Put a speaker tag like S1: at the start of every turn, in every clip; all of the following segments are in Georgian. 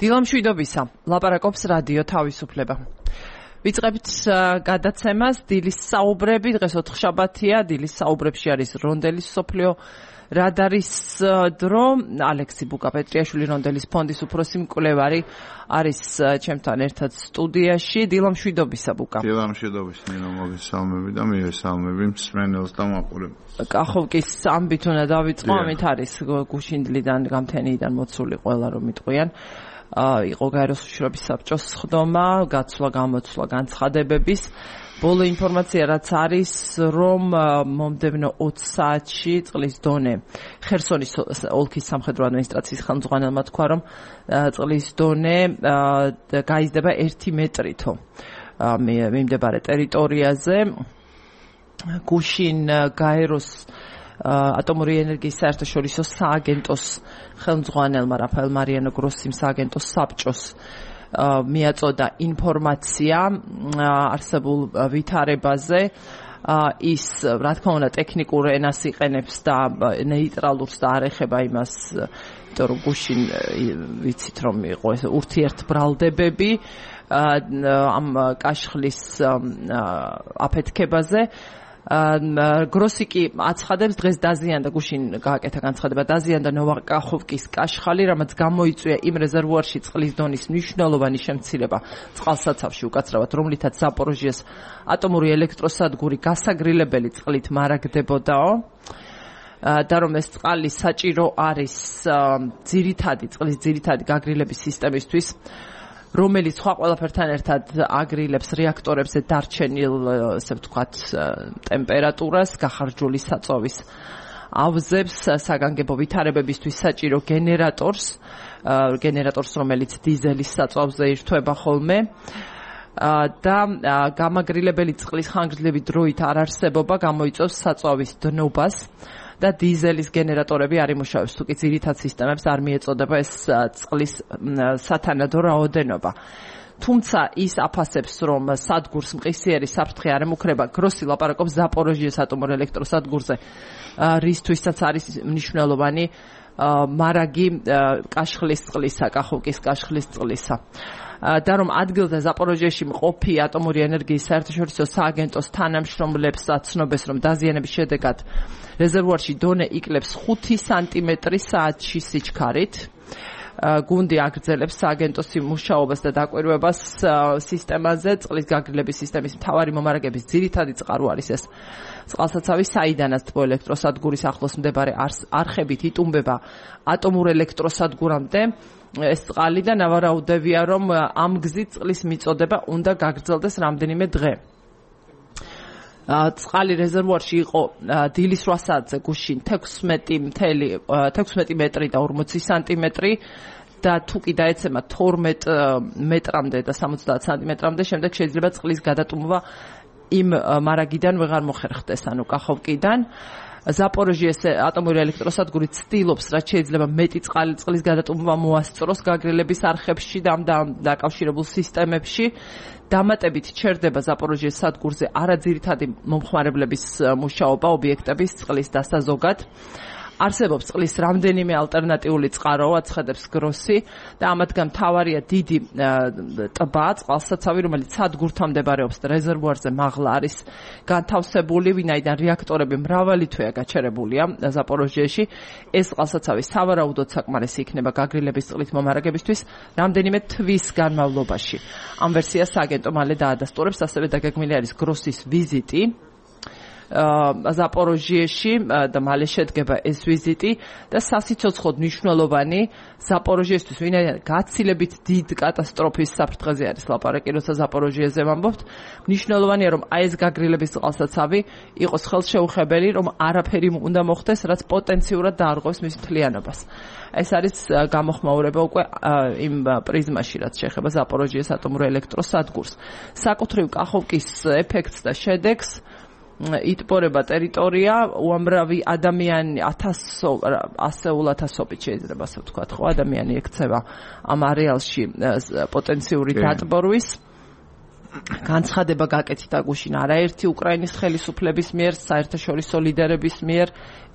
S1: დილამშვიდობისა, ლაპარაკობს რადიო თავისუფლება. ვიწყებთ გადაცემას დილის საუბრები, დღეს ოთხშაბათია, დილის საუბრებში არის რონდელის სოფლიო რადარის დრო, ალექსი ბუკაპეტრიაშვილი რონდელის ფონდის უფროსი მკვლევარი არის ჩემთან ერთად სტუდიაში. დილამშვიდობისა ბუკა.
S2: დილამშვიდობის ნინო, მოგესალმები და მივესალმები მსმენელს და მაყურებელს.
S1: კახოვკის ამბით უნდა დავიწყო, ამით არის გუშინდლიდან გამთენიიდან მოცული ყველა რომ იტყვიან. იყო გაეროს უშიშროების საბჭოს სხდომა, გაცვლა, გამოცვლა, განცხადებების. ბოლო ინფორმაცია რაც არის, რომ მომდევნო 20 საათში წყლის დონე ხერსონის ოლქის სამხედრო ადმინისტრაციის ხელმძღვანელმა თქვა, რომ წყლის დონე გაიზრდება 1 მეტრითო მიმდებარე ტერიტორიაზე. გუშინ გაეროს ატომური ენერგიის საერთაშორისო სააგენტოს ხელმძღვანელმა რაფაელ მარიანო გროსიმ სააგენტოს საბჭოს მიაწოდა ინფორმაცია არსებულ ვითარებაზე. ის, რა თქმა უნდა, ტექნიკურ ენას იყენებს და ნეიტრალურს და არ ეხება იმას, იმიტომ რომ გუშინ ვიცით რომ იყო ეს ურთიერთბრალდებები ამ კაშხლის აფეთქებაზე. გროსი კი აცხადებს, დღეს დაზიანდა, გუშინ გააკეთა განცხადება, დაზიანდა ნოვაკახოვკის კაშხალი, რამაც გამოიწვია იმ რეზერვუარში წყლის დონის მნიშვნელოვანი შემცირება წყალსაცავში უკაცრავად, რომლითაც ზაპოროჟიეს ატომური ელექტროსადგური გასაგრილებელი წყლით მარაგდებოდაო. და რომ ეს წყალი საჭირო არის წყლის ძირითადი გაგრილების სისტემისთვის, რომელიც სხვა ყველაფერთან ერთად აგრილებს რეაქტორებზე დარჩენილ, ესე ვთქვათ, ტემპერატურას, გახარჯული საწოვის ავზებს, საგანგებო ვითარებებისთვის საჭირო გენერატორს, რომელიც დიზელის საწვავზე ირთვება ხოლმე. და გამაგრილებელი წყლის ხანგრძლივი დროით არ არსებობა გამოიწვევს საწვავის დნობას და დიზელის გენერატორები არ იმუშავებს, თუკი ძირითად სისტემებს არ მიეწოდება ეს წყლის სათანადო რაოდენობა. თუმცა ის აფასებს, რომ სადგურს მყისიერი საფრთხე არ ემუქრება. გროსი ლაპარაკობს ზაპოროჟიეს ატომურ ელექტროსადგურზე, რისთვისაც არის მნიშვნელოვანი მარაგი კაშხლის წყლისა, კახოვკის კაშხლის წყლისა. და რომ ადგილზე ზაპოროჟიეში მყოფი ატომური ენერგიის საერთაშორისო სააგენტოს თანამშრომლებს აცნობეს, რომ დაზიანების შედეგად რეზერვუარში დონე იკლებს 5 სანტიმეტრი საათში სიჩქარით. გუნდი აგრძელებს სააგენტოს მუშაობას და დაკვირვებას სისტემაზე. წყლის გაგრილების სისტემის მთავარი მომარაგების ძირითადი წყარო არის ეს წყალსაცავი, საიდანაც თბო ელექტროსადგურის ახლოს მდებარე არხებით იტუმბება ატომურ ელექტროსადგურამდე ეს წყალი და ნავარაუდევია, რომ ამ გზით წყლის მიწოდება უნდა გაგრძელდეს რამდენიმე დღე. წყალი რეზერვუარში იყო დილის 8 საათზე გუშინ 16 მეტრი და 40 სანტიმეტრი და თუ კი დაეცემა 12 მეტრამდე და 70 სანტიმეტრამდე, შემდეგ შეიძლება წყლის გადატუმვა იმ მარაგიდან ვეღარ მოხერხდეს, ანუ კახოვკიდან. ზაპოროჟიეს ატომური ელექტროსადგური ცდილობს, რაც შეიძლება მეტი წყლის გადატუმვა მოასწროს გაგრილების არხებში და ამ დაკავშირებულ სისტემებში. დამატებით ჩერდება ზაპოროჟიეს სადგურზე არაძირითადი მომხმარებლების მუშაობა, ობიექტების წყლის დასაზოგად. არსებობს წყლის რამდენიმე ალტერნატიული წყარო, აცხადებს გროსი და ამათგან მთავარია დიდი ტბა, წყალსაცავი, რომელიც სადგურთან მდებარეობს და რეზერვუარზე მაღლა არის განთავსებული, ვინაიდან რეაქტორები მრავალი თვეა გაჩერებულია ზაპოროჟიეში. ეს წყალსაცავი სავარაუდოდ საკმარისი იქნება გაგრილების წყლით მომარაგებისთვის რამდენიმე თვის განმავლობაში. ამ ვერსიას სააგენტო მალე დაადასტურებს, ასევე დაგეგმილი არის გროსის ვიზიტი ზაპოროჟიეში და მალე შედგება ეს ვიზიტი და სასიცოცხლოდ მნიშვნელოვანი ზაპოროჟიესთვის, ვინაიდან გაცილებით დიდ კატასტროფის საფრთხეზე არის ლაპარაკი, როცა ზაპოროჟიეზე ვამბობთ. მნიშვნელოვანია, რომ აი ეს გაგრილების წყალსაცავი იყოს ხელშეუხებელი, რომ არაფერი უნდა მოხდეს, რაც პოტენციურად დაარღვევს მის მთლიანობას. ეს არის გამოხმაურება უკვე იმ პრიზმაში, რაც შეეხება ზაპოროჟიეს ატომურ ელექტროსადგურს. საკუთრივ კახოვკის ეფექტს და შედეგს იტბორება ტერიტორია, უამრავი ადამიანი ასეულათასობით შეიძლება ასე ვთქვათ, ხო, ადამიანი ექცევა ამ არეალში პოტენციური დატბორვის. განცხადება გაკეთდა გუშინ არაერთი უკრაინის ხელისუფლების მიერ, საერთაშორისო ლიდერების მიერ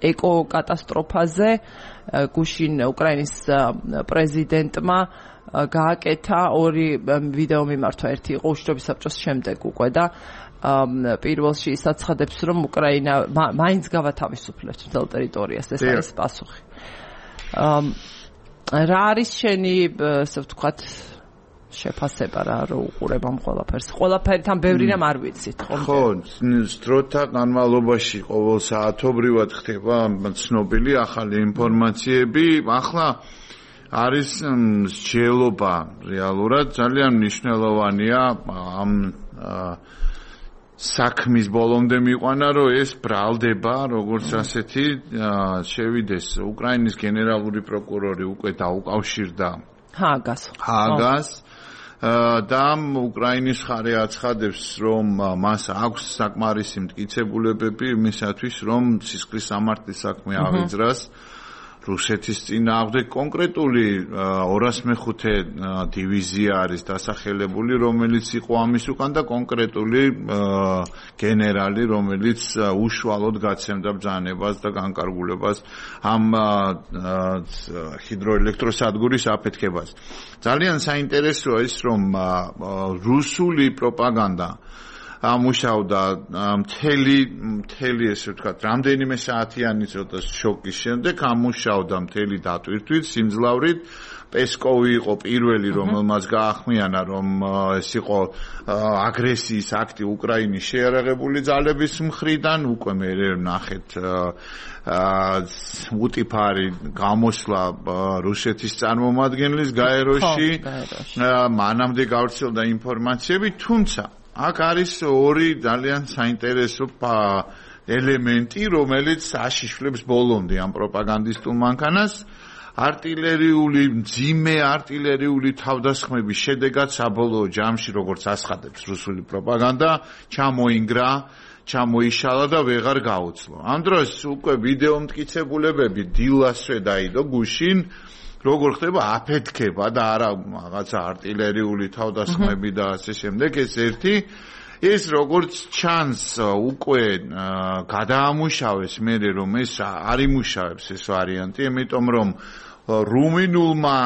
S1: ეკოკატასტროფაზე. გუშინ უკრაინის პრეზიდენტმა გააკეთა ორი ვიდეო მიმართვა, ერთი იყო უშიშროების საბჭოს შემდეგ უკვე და პირველში ის აცხადებს, რომ უკრაინა მაინც გავათავისუფლებს მთელ ტერიტორიას, ეს არის პასუხი. რა არის შენი, ასე ვთქვათ, შეფასება რა უყურებ ამ ყველაფერს? ყველაფერი თან ბევრი რამ არ ვიცით, ხო?
S2: ხო, დროთა განმავლობაში ყოველ საათობრივად ხდება ცნობილი ახალი ინფორმაციები. ახლა არის მსჯელობა რეალურად ძალიან მნიშვნელოვანია ამ საქმის ბოლომდე მიყვანა, რომ ეს ბრალდება, როგორც ასეთი შევიდეს უკრაინის გენერალური პროკურორი უკვე დაუკავშირდა ჰააგას და უკრაინის მხარე აცხადებს, რომ მას აქვს საკმარისი მტკიცებულებები იმისათვის, რომ სისხლის სამართლის საქმე აღიძრას რუსეთის წინააღმდეგ. კონკრეტული 205 დივიზია არის დასახელებული, რომელიც იყო ამის უკან და კონკრეტული გენერალი, რომელიც უშუალოდ გაცემდა ბრძანებას და განკარგულებას ამ ჰიდროელექტროსადგურის აფეთქებას. ძალიან საინტერესოა ის, რომ რუსული პროპაგანდა ამუშავდა მთელი ესე ვთქვათ, რამდენიმე საათიანი ცოტა შოკის შემდეგ ამუშავდა მთელი დატვირთვით, სიმძლავრით. პესკოვი იყო პირველი, რომელმაც გაახმიანა, რომ ეს იყო აგრესიის აქტი უკრაინის შეიარაღებული ძალების მხრიდან. უკვე მე ნახეთ უტიფარი გამოსვლა რუსეთის წარმომადგენლის გაეროში. მანამდე გავრცელდა ინფორმაციები, თუმცა აქ არის ორი ძალიან საინტერესო ელემენტი, რომელიც აშიშვლებს ბოლომდე ამ პროპაგანდისტულ მანქანას. მძიმე არტილერიული თავდასხმების შედეგად საბოლოო ჯამში, როგორც აცხადებს რუსული პროპაგანდა, ჩამოიშალა და ვეღარ გაუძლო. ამ დროს უკვე ვიდეო მტკიცებულებები დილასვე დაიდო გუშინ, როგორ ხდება აფეთქება და არა რაღაცა არტილერიული თავდასხმები და ასე შემდეგ. ეს ერთი, ეს როგორც ჩანს უკვე გადაამუშავეს მერე, რომ ეს არ იმუშავებს ეს ვარიანტი, იმიტომ რომ რუმინულმა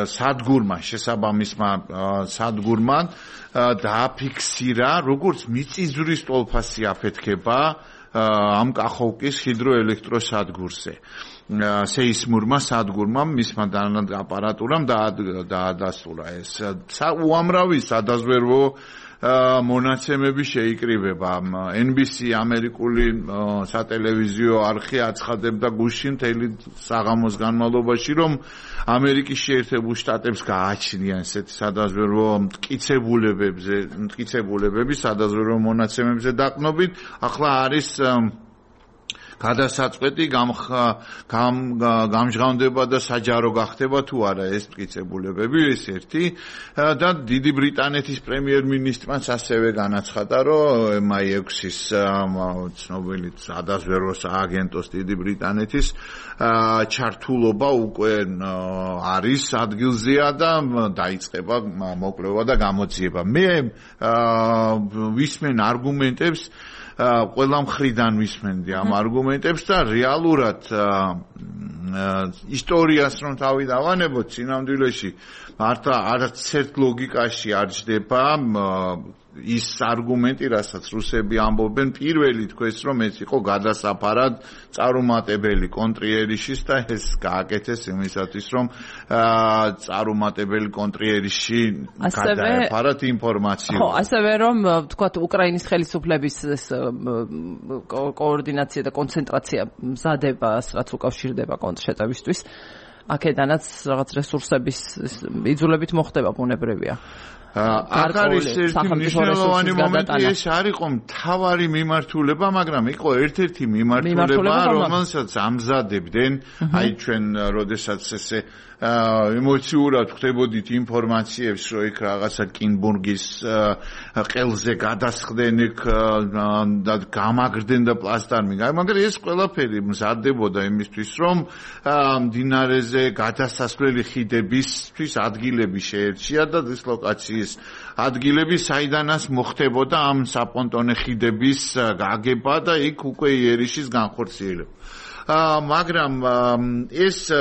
S2: სადგურმა, შესაბამისმა სადგურმა დააფიქსირა, როგორც მიწისძვრის ტოლფასი აფეთქება ამ კახოვკის ჰიდროელექტროსადგურზე. სეისმურმა სადგურმა მისმა აპარატურამ დაადასტურა ეს. უამრავი სადაზვერვო მონაცემები შეიკრიბება. NBC ამერიკული სატელევიზიო არხი აცხადებდა გუშინ მთელი საღამოს განმავლობაში, რომ ამერიკის შეერთებულ შტატებს გააჩნიან ესეთი სადაზვერვო მტკიცებულებები სადაზვერვო მონაცემებზე დაყნობით. ახლა არის გადასაწყვეტი გამჟღავნდება და საჯარო გახდება თუ არა ეს მტკიცებულებები, ეს ერთი. და დიდი ბრიტანეთის პრემიერ-მინისტრმაც ასევე განაცხადა, რომ MI6-ის ცნობილი სადაზვერვო სააგენტოს დიდი ბრიტანეთის ჩართულობა უკვე არის ადგილზეა და დაიწყება მოკვლევა და გამოძიება. მე ვისმენ არგუმენტებს, ყველა მხრიდან ვისმენდი ამ არგუმენტებს და რეალურად ისტორიას რომ თავი დავანებოთ წინამძღოლში მართლა არც ერთ ლოგიკაში არ ჯდება ის არგუმენტი, რასაც რუსები ამბობენ, პირველი თქვეს, რომ ეს იყო გადასაფარად წარუმატებელი კონტრიერიშის და ეს გააკეთეს იმისათვის, რომ წარუმატებელი კონტრიერიში გადაეფარათ ინფორმაცია.
S1: ხო, ასევე რომ ვთქვათ, უკრაინის ხელისუფლების კოორდინაცია და კონცენტრაცია მზადებას, რაც უკავშირდება კონტრშეტევისთვის, აქედანაც რაღაც რესურსების იძულებით მოხდება ბუნებრივია.
S2: აქ არის ერთი მნიშვნელოვანი მომენტი, ეს არ იყო მთავარი მიმართულება, მაგრამ იყო ერთ-ერთი მიმართულება, რომელსაც ამზადებდნენ, აი ჩვენ როდესაც ესე ემოციურად ხდებოდით ინფორმაციებს, რომ იქ რაღაცა კინბურგის ყელზე გადასხდნენ იქ და გამაგრდნენ და პლასტარმი. მაგრამ ეს ყველაფერი მზადდებოდა იმისთვის, რომ მდინარეზე გადასასვლელი ხიდებისთვის ადგილები შეერჩია და დისლოკაციის ადგილები, საიდანაც მოხდებოდა ამ საპონტონე ხიდების გაგება და იქ უკვე იერიშის განხორციელება. მაგრამ ეს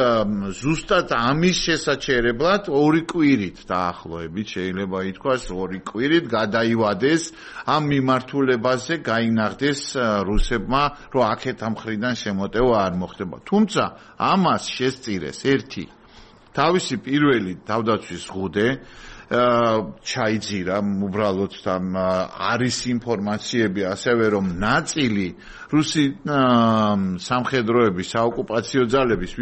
S2: ზუსტად ამის შესაჩერებლად 2 კვირით დაახლოებით შეიძლება ითქვას 2 კვირით გადაივადეს ამ მიმართულებაზე გაინახდეს რუსებმა რომ აქეთ ამ მხრიდან შემოტევა არ მოხდება. თუმცა ამას შესწირეს ერთი თავისი პირველი თავდაცვის ზღუდე ჩაიძირა უბრალოდ там არის ინფორმაციები ასევე რომ ნაწილი რუსი სამხედროების საოკუპაციო ძალების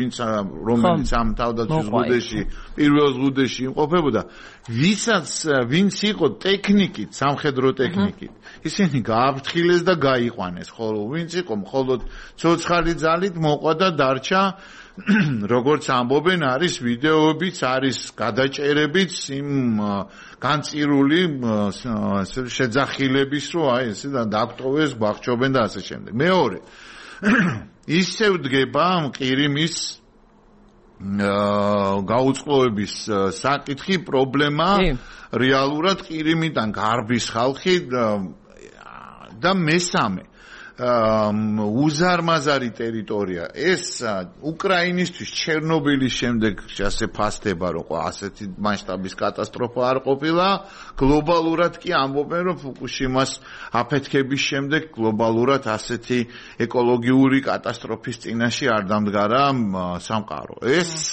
S2: რომელიც ამ თავდაცვის ზღუდეში პირველ ზღუდეში იმყოფებოდა ვინც იყო ტექნიკით სამხედრო ტექნიკით ისინი გააფრთხილეს და გაიყვანეს ხოლო ვინც იყო მხოლოდ ცოცხალი ძალით მოყვა და დარჩა როგორც ამბობენ არის ვიდეოებიც არის გადაჭერებიც იმ განწირული შეძახილების რომ აი ესე დაგვტოვეს გვახჭობენ და ასე შემდეგ. მეორე ისევ დგება ყირიმის გაუწყლოების საკითხი პრობლემა რეალურად ყირიმიდან გარბის ხალხი და მესამე უზარმაზარი ტერიტორია ეს უკრაინისთვის ჩერნობილის შემდეგ ასე ფასდება რომ ასეთი მასშტაბის კატასტროფა არ ყოფილა გლობალურად კი ამბობენ რომ ფუკუშიმას აფეთქების შემდეგ გლობალურად ასეთი ეკოლოგიური კატასტროფის წინაშე არ დამდგარა სამყარო ეს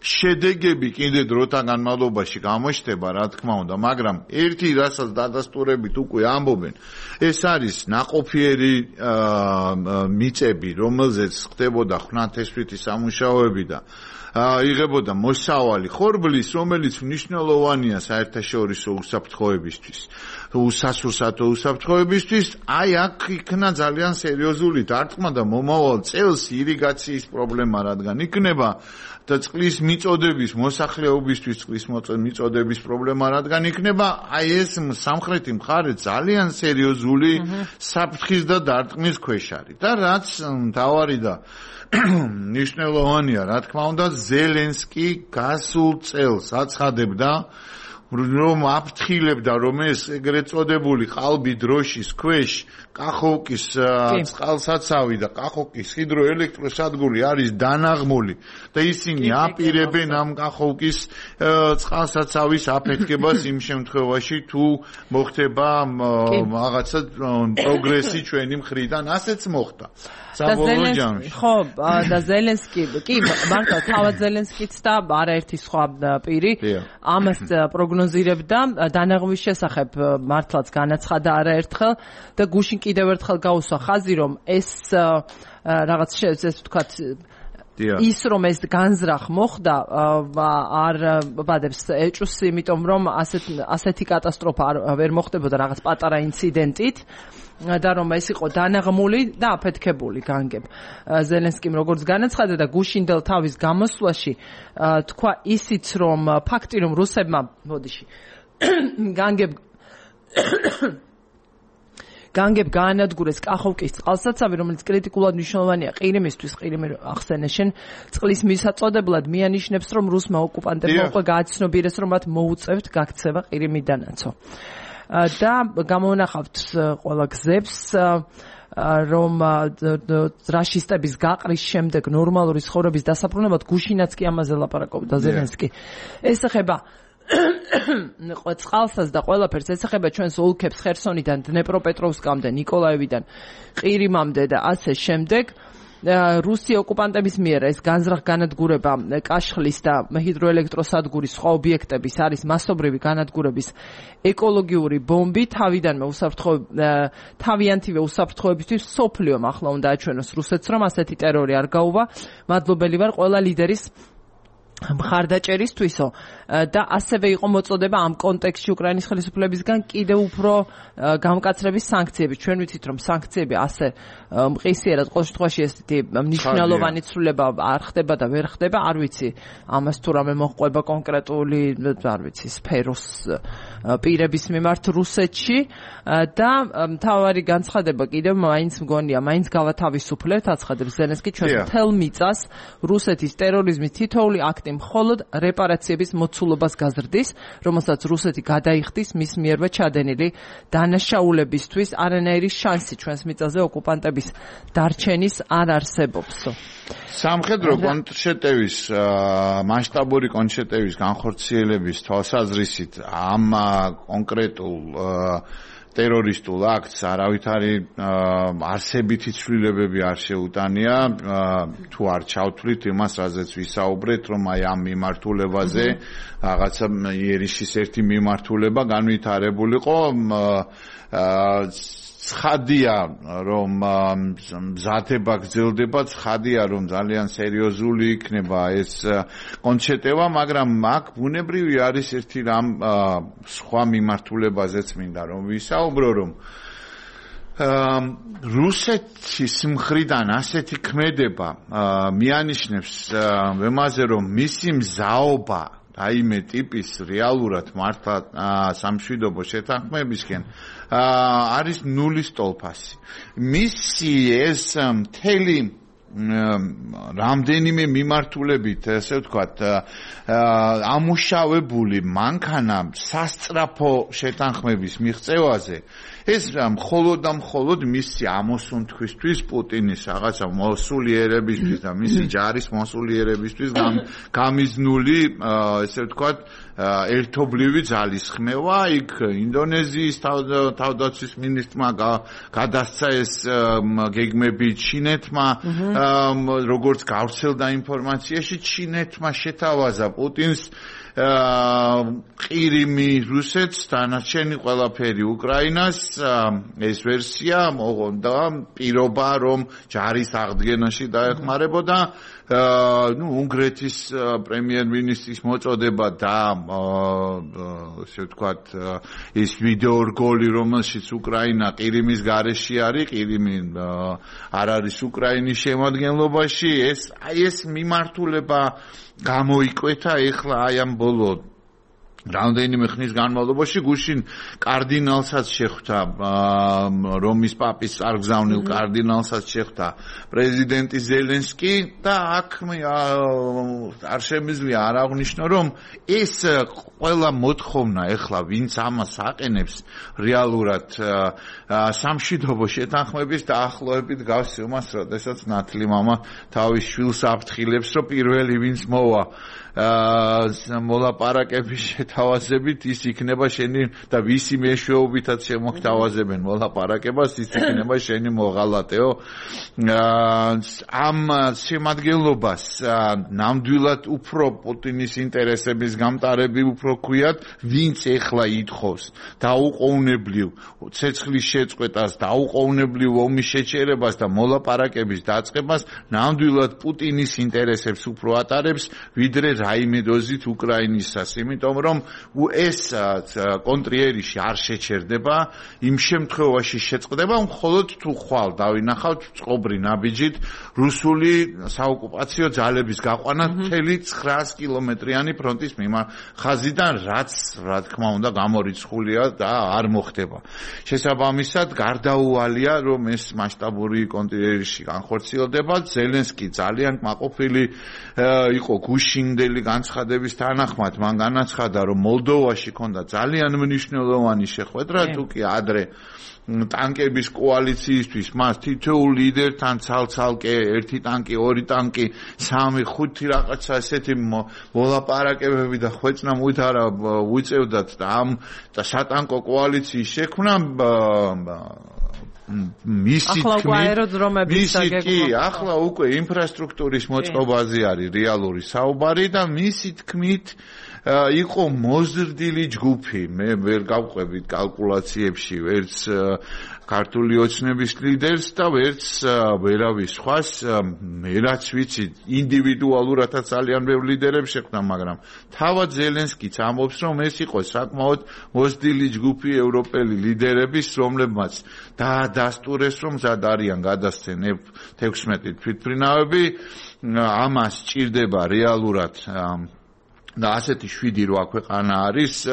S2: შედეგები კიდე დროთა განმავლობაში გამოჩნდება რა თქმა უნდა მაგრამ ერთი რასაც დადასტურებით უკვე ამბობენ ეს არის ნაყოფიერი მიწები, რომელზეც ხდებოდა ხვნათესვითი სამუშაოები და იღებოდა მოსავალი ხორბლის, რომელიც მნიშვნელოვანია საერთაშორისო უსაფრთხოებისთვის, სასურსათო უსაფრთხოებისთვის, აი აქ იქნა ძალიან სერიოზული დარტყმა და მომავალ წელს ირიგაციის პრობლემა რადგან იქნება და წყლის მიწოდების მოსახლეობისთვის წყლის მიწოდების პრობლემა რადგან იქნება, აი ეს სამხრეთი მხარე ძალიან სერიოზული საფრთხის და დარტყმის ქვეშ არის. და რაც მთავარი და მნიშვნელოვანია, რა თქმა უნდა, ზელენსკი გასულ წელს აცხადებდა რომ აფრთხილებდა რომ ეს ეგრეთ წოდებული ყალბი დროშის ქვეშ კახოვკის წყალსაცავი და კახოვკის ჰიდროელექტროსადგური არის დანაღმული და ისინი აპირებენ ამ კახოვკის წყალსაცავის აფეთქებას იმ შემთხვევაში თუ მოხდება რაღაცა პროგრესი ჩვენი მხრიდან ასეც მოხდა საბოლოო ჯამში
S1: ხო და ზელენსკი კი მართლა თავად ზელენსკიც და არაერთი სხვა პირი ამას პროგნოზირებდა დანაღმვის შესახებ მართლაც განაცხადა არაერთხელ და გუშინ კიდევ ერთხელ გაუსვა ხაზი რომ ეს რაღაც ესე ვთქვათ ის რომ ეს განზრახ მოხდა არ ბადებს ეჭვს იმიტომ რომ ასეთი კატასტროფა ვერ მოხდებოდა რაღაც პატარა ინციდენტით და რომ ეს იყო დანაღმული და აფეთქებული განგებ ზელენსკიმ როგორც განაცხადა და გუშინდელ თავის გამოსვლაში თქვა ისიც რომ ფაქტი რომ რუსებმა მოდიში განგებ გაანადგურეს კახოვკის წყალსაცავი, რომელიც კრიტიკულად მნიშვნელოვანია ყირიმისთვის, ყირიმი ახსენე შენ, წყლის მისაწოდებლად მიანიშნებს, რომ რუსმა ოკუპანტებმა უკვე გააცნობიერეს, რომ მათ მოუწევთ გაქცევა ყირიმიდანაცო. და გამოვნახავთ ყველა გზებს რომ რაშისტების გაყრის შემდეგ ნორმალური ცხოვრების დასაბრუნებლად გუშინაც კი ამაზე ლაპარაკობდა ზელენსკი. ეს ეხება წყალსას და ყველაფერს ეხება ჩვენს ოლქებს ხერსონიდან დნეპროპეტროვსკამდე ნიკოლაევიდან ყირიმამდე და ასე შემდეგ რუსი ოკუპანტების მიერ ეს განზრახ განადგურება კაშხლის და ჰიდროელექტროსადგურის სხვა ობიექტების არის მასობრივი განადგურების ეკოლოგიური ბომბი თავიანთივე უსაფრთხოებისთვის სოფლიომ ახლა უნდა აჩვენოს რუსეთს რომ ასეთი ტერორი არ გაუვა მადლობელი ვარ ყველა ლიდერის მხარდაჭერისთვისო და ასევე იყო მოწოდება ამ კონტექსტში უკრაინის ხელისუფლებისგან კიდევ უფრო გამკაცრების სანქციები. ჩვენ ვიცით, რომ სანქციები ასე მყისიერად ყოველ შემთხვევაში ესეთი მნიშვნელოვანი ცვლილება არ ხდება და ვერ ხდება, არ ვიცი ამას თუ რამე მოჰყვება კონკრეტული, არ ვიცი, სფეროს პირების მიმართ რუსეთში და მთავარი განცხადება კიდევ მაინც მგონია, მაინც გავათავისუფლებთ, აცხადებს ზელენსკი ჩვენს მთელ მიწას რუსეთის ტერორიზმის თითოეული აქტი მხოლოდ რეპარაციების მოცულობას გაზრდის, რომელსაც რუსეთი გადაიხდის მის მიერვე ჩადენილი დანაშაულებისთვის, არანაირი შანსი ჩვენს მიწაზე ოკუპანტების დარჩენის არ არსებობს.
S2: სამხედრო კონტრშეტევის მასშტაბური კონტრშეტევის განხორციელების თვალსაზრისით ამ კონკრეტულ ტერორისტულ აქტს არავითარი არსებითი ცვლილებები არ შეუტანია, თუ არ ჩავთვლით იმას, რაზეც ვისაუბრეთ, რომ აი ამ მიმართულებაზე რაღაცა იერიშის ერთი მიმართულება განვითარებულიყო. ცხადია, რომ მზადება გრძელდება, ცხადია, რომ ძალიან სერიოზული იქნება ეს კონცეტევა, მაგრამ აქ ბუნებრივი არის ერთი რამ სხვა მიმართულებაზეც მინდა რომ ვისაუბრო, რომ რუსეთის მხრიდან ასეთი ქმედება მიანიშნებს იმაზე, რომ მისი მზაობა რაიმე ტიპის რეალურად მართლა სამშვიდობო შეთანხმებისკენ არის ნულის ტოლფასი. მისი ეს მთელი რამდენიმე მიმართულებით, ესე ვთქვათ, ამუშავებული მანქანა სასწრაფო შეთანხმების მიღწევაზე ეს მხოლოდ და მხოლოდ მისი ამოსუნთქვისთვის, პუტინის რაღაცა მოსულიერებისთვის და მისი ჯარის მოსულიერებისთვის გამიზნული, ესე ვთქვათ, ერთობლივი ძალისხმევა. იქ ინდონეზიის თავდაცვის მინისტრმა გადასცა ეს გეგმები ჩინეთმა, როგორც გავრცელდა ინფორმაციაში, ჩინეთმა შეთავაზა პუტინს ყირიმი რუსეთს, დანარჩენი ყველაფერი უკრაინას. ეს ვერსია მოღონდა პირობა, რომ ჯარის აღდგენაში დაეხმარებოდა. უნგრეთის პრემიერ-მინისტრის მოწოდება და ესე ვთქვათ, ის ვიდეო რგოლი, რომელშიც უკრაინა ყირიმის გარეშე არის, ყირიმი არ არის უკრაინის შემადგენლობაში, ეს მიმართულება გამოიკვეთა ეხლა აი ამ ბოლო რამდენიმე ხნის განმავლობაში. გუშინ კარდინალსაც შეხვდა, რომის პაპის წარგზავნილ კარდინალსაც შეხვდა პრეზიდენტი ზელენსკი და აქ არ შემიძლია არ აღვნიშნო, რომ ეს ყველა მოთხოვნა ეხლა ვინც ამას აყენებს რეალურად სამშვიდობო შეთანხმების დაახლოებით გავს იმას, როდესაც ნათლი მამა თავის შვილს აფრთხილებს, რომ პირველი ვინც მოვა მოლაპარაკების შეთავაზებით, ის იქნება შენი და ვისი მეშვეობითაც შემოგთავაზებენ მოლაპარაკებას, ის იქნება შენი მოღალატეო. ამ შემადგენლობას ნამდვილად უფრო პუტინის ინტერესების გამტარები უფრო ქვიათ, ვინც ეხლა ითხოვს დაუყოვნებლივ ცეცხლის შეწყვეტას, დაუყოვნებლივ ომის შეჩერებას და მოლაპარაკების დაწყებას, ნამდვილად პუტინის ინტერესებს უფრო ატარებს, ვიდრე რაიმე დოზით უკრაინისას, იმიტომ რომ ეს კონტრიერიში არ შეჩერდება, იმ შემთხვევაში შეწყდება მხოლოდ თუ ხვალ დავინახავთ წყობრი ნაბიჯით რუსული საოკუპაციო ძალების გაყვანა მთელი 900 კილომეტრიანი ფრონტის ხაზიდან, რაც რა თქმა უნდა გამორიცხულია და არ მოხდება. შესაბამისად, გარდაუვალია, რომ ეს მასშტაბური კონტრიერიში განხორციელდება. ზელენსკი ძალიან კმაყოფილი იყო გუშინდელი განცხადების თანახმად, მან განაცხადა, რომ მოლდოვაში ქონდა ძალიან მნიშვნელოვანი შეხვედრა, თუკი ადრე ტანკების კოალიციისთვის მას თითოეულ ლიდერთან ცალ-ცალკე, ერთი ტანკი, ორი ტანკი, 3-5 რაღაცა ესეთი მოლაპარაკებები და ხვეწნა მოითარა ვიწევდათ და ამ და სატანკო კოალიციის შექმნა
S1: ახლა უკვე აეროდრომების
S2: გაგება. ახლა უკვე ინფრასტრუქტურის მოწყობაზე არის რეალური საუბარი და მისი თქმით იყო მოზრდილი ჯგუფი. მე ვერ გავყვებით კალკულაციებში ვერც ქართული ოცნების ლიდერს და ვერც ვერავის სხვას. მე რაც ვიცი, ინდივიდუალურადაც ძალიან ბევრი ლიდერებს შეხვდა, მაგრამ თავად ზელენსკიც ამბობს, რომ ეს იყო საკმაოდ მოზრდილი ჯგუფი ევროპელი ლიდერების, რომლებმაც დაასტურეს, რომ მზად არიან გადასცენ F-16 თვითმფრინავები. ამას ჭირდება რეალურად და ასეთი 7-8 ქვეყანა არის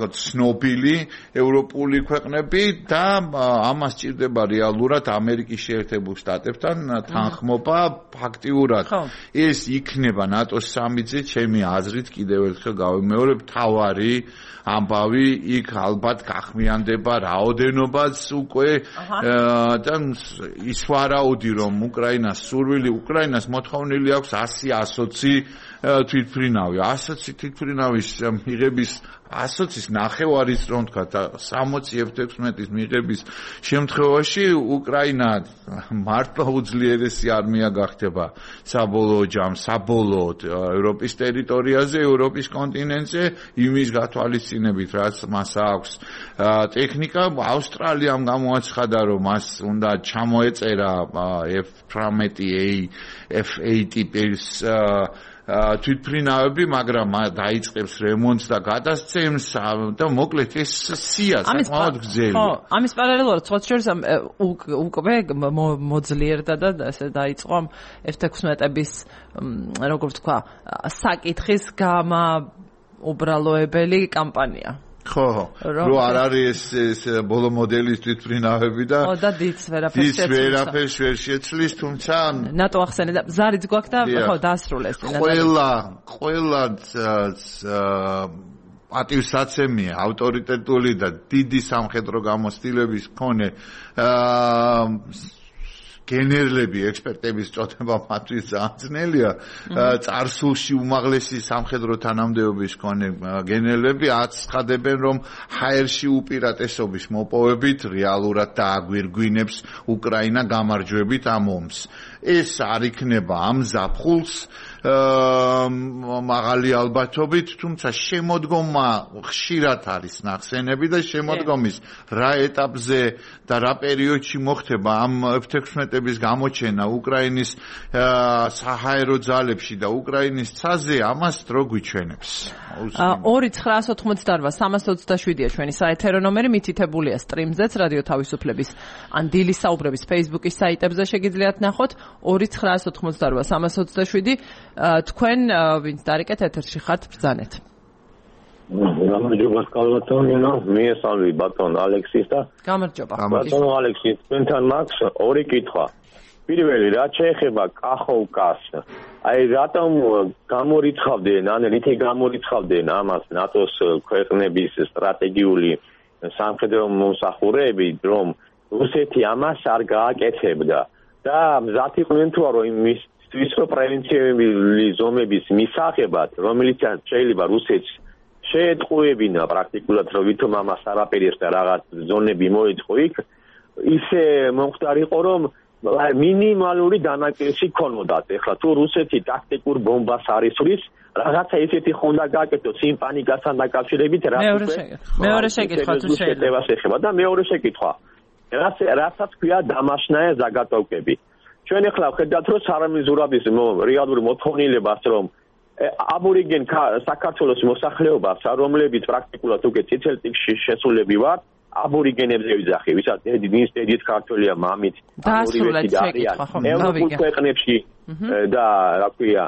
S2: ცნობილი ევროპული ქვეყნები და ამას ჭირდება რეალურად ამერიკის შეერთებულ შტატებთან თანხმობა. ფაქტიურად ეს იქნება ნატოს სამიტზე, ჩემი აზრით, კიდევ ერთხელ გავიმეორებ, თავარი ამბავი იქ ალბათ გახმიანდება რაოდენობაც უკვე და ის ვარაუდი, რომ უკრაინას მოთხოვნილი აქვს 100-120 თვითმფრინავი. 100 თვითმფრინავის მიღების 100-ის ნახევარის რომ თქვა 60 F-16-ის მიღების შემთხვევაში უკრაინა მართლა უძლიერესი არმია გახდება საბოლოოდ ევროპის ტერიტორიაზე, ევროპის კონტინენტზე, იმის გათვალისწინებით, რაც მას აქვს ტექნიკა. ავსტრალიამ გამოაცხადა, რომ მას უნდა ჩამოეწერა F-18A, F-8 ტიპის თვითმფრინავები, მაგრამ დაიწყებს რემონტს და გადასცემს და მოკლედ ეს სია საკმაოდ გრძელი.
S1: ხო, ამის პარალელურად სხვა შორის უკვე მოძლიერდა და ესე დაიწყო F-16-ების როგორ ვთქვა, საკითხის გამაუბრალოებელი კამპანია.
S2: ხო, რო არ არის ეს ბოლო მოდელის თვითმფრინავები და
S1: დიც ვერაფერს
S2: ვერ შეცვლის, თუმცა
S1: ნატო ახსენე და ზარიც გვაქვს და ხო დაასრულეს.
S2: ყველა პატივსაცემია, ავტორიტეტული და დიდი სამხედრო გამოცდილების მქონე გენერლები, ექსპერტების წოდება მათთვის ძალიან ძნელია. წარსულში უმაღლესი სამხედრო თანამდებობის მქონე გენერლები აცხადებენ, რომ ჰაერში უპირატესობის მოპოვებით რეალურად დააგვირგვინებს უკრაინა გამარჯვებით ამ ომს. ეს არ იქნება ამ ზაფხულს მაღალი ალბათობით, თუმცა შემოდგომა ხშირად არის ნახსენები და შემოდგომის რა ეტაპზე და რა პერიოდში მოხდება ამ F-16-ების გამოჩენა უკრაინის საჰაერო ძალებში და უკრაინის ცაზე, ამას დრო გვიჩვენებს.
S1: 2-988-327-ია ჩვენი საეთერო ნომერი, მითითებულია სტრიმზეც, რადიო თავისუფლების ან დილის საუბრების Facebook-ის საიტებზე შეგიძლიათ ნახოთ. 2-988-327 თქვენ ვინც დარეკეთ ეთერში ხართ, ბრძანეთ.
S3: გამარჯობა კალბატონინა, მიესალმები ბატონ ალექსის და
S1: გამარჯობა.
S3: ბატონ ალექსის, თქვენთან მაქვს ორი კითხვა. პირველი, რაც შეეხება კახოვკას, აი რატომ გამორიცხავდნენ, ან რითი გამორიცხავდნენ ამას ნატოს ქვეყნების სტრატეგიული სამხედრო მომსახურეები, რომ რუსეთი ამას არ გააკეთებდა და მზად იყვნენ თუ არა იმის პრევენციული ზომების მისაღებად, რომელიც შეიძლება რუსეთს შეეტყუებინა პრაქტიკულად, რომ ვითომ ამას არაპირეს და რაღაც ზონები მოეწყო იქ, ისე მომხდარიყო, რომ მინიმალური დანაკლისი ქონოდათ. ეხლა თუ რუსეთი ტაქტიკურ ბომბას არისვრის, რაღაცა ისეთი ხონდა გააკეთოს იმ პანიკასთან დაკავშირებით,
S1: მეორე შეკითხვა თუ
S3: შეიძლება და მეორე შეკითხვა. რასაც ქვია დამაშნაე ზაგატოვკები. ჩვენ ახლა ვხედავთ, რომ სარამი ზურაბის რეალური მოთხოვნილებას, რომ აბორიგენ საქართველოს მოსახლეობას, რომლებიც პრაქტიკულად უკვე წითელ წიგნში შესულები ვართ, აბორიგენებზე ვიძახი, ვისაც დედით ქართველია მამით,
S1: აბორიგენები არიან
S3: ევროპულ ქვეყნებში და რა ქვია,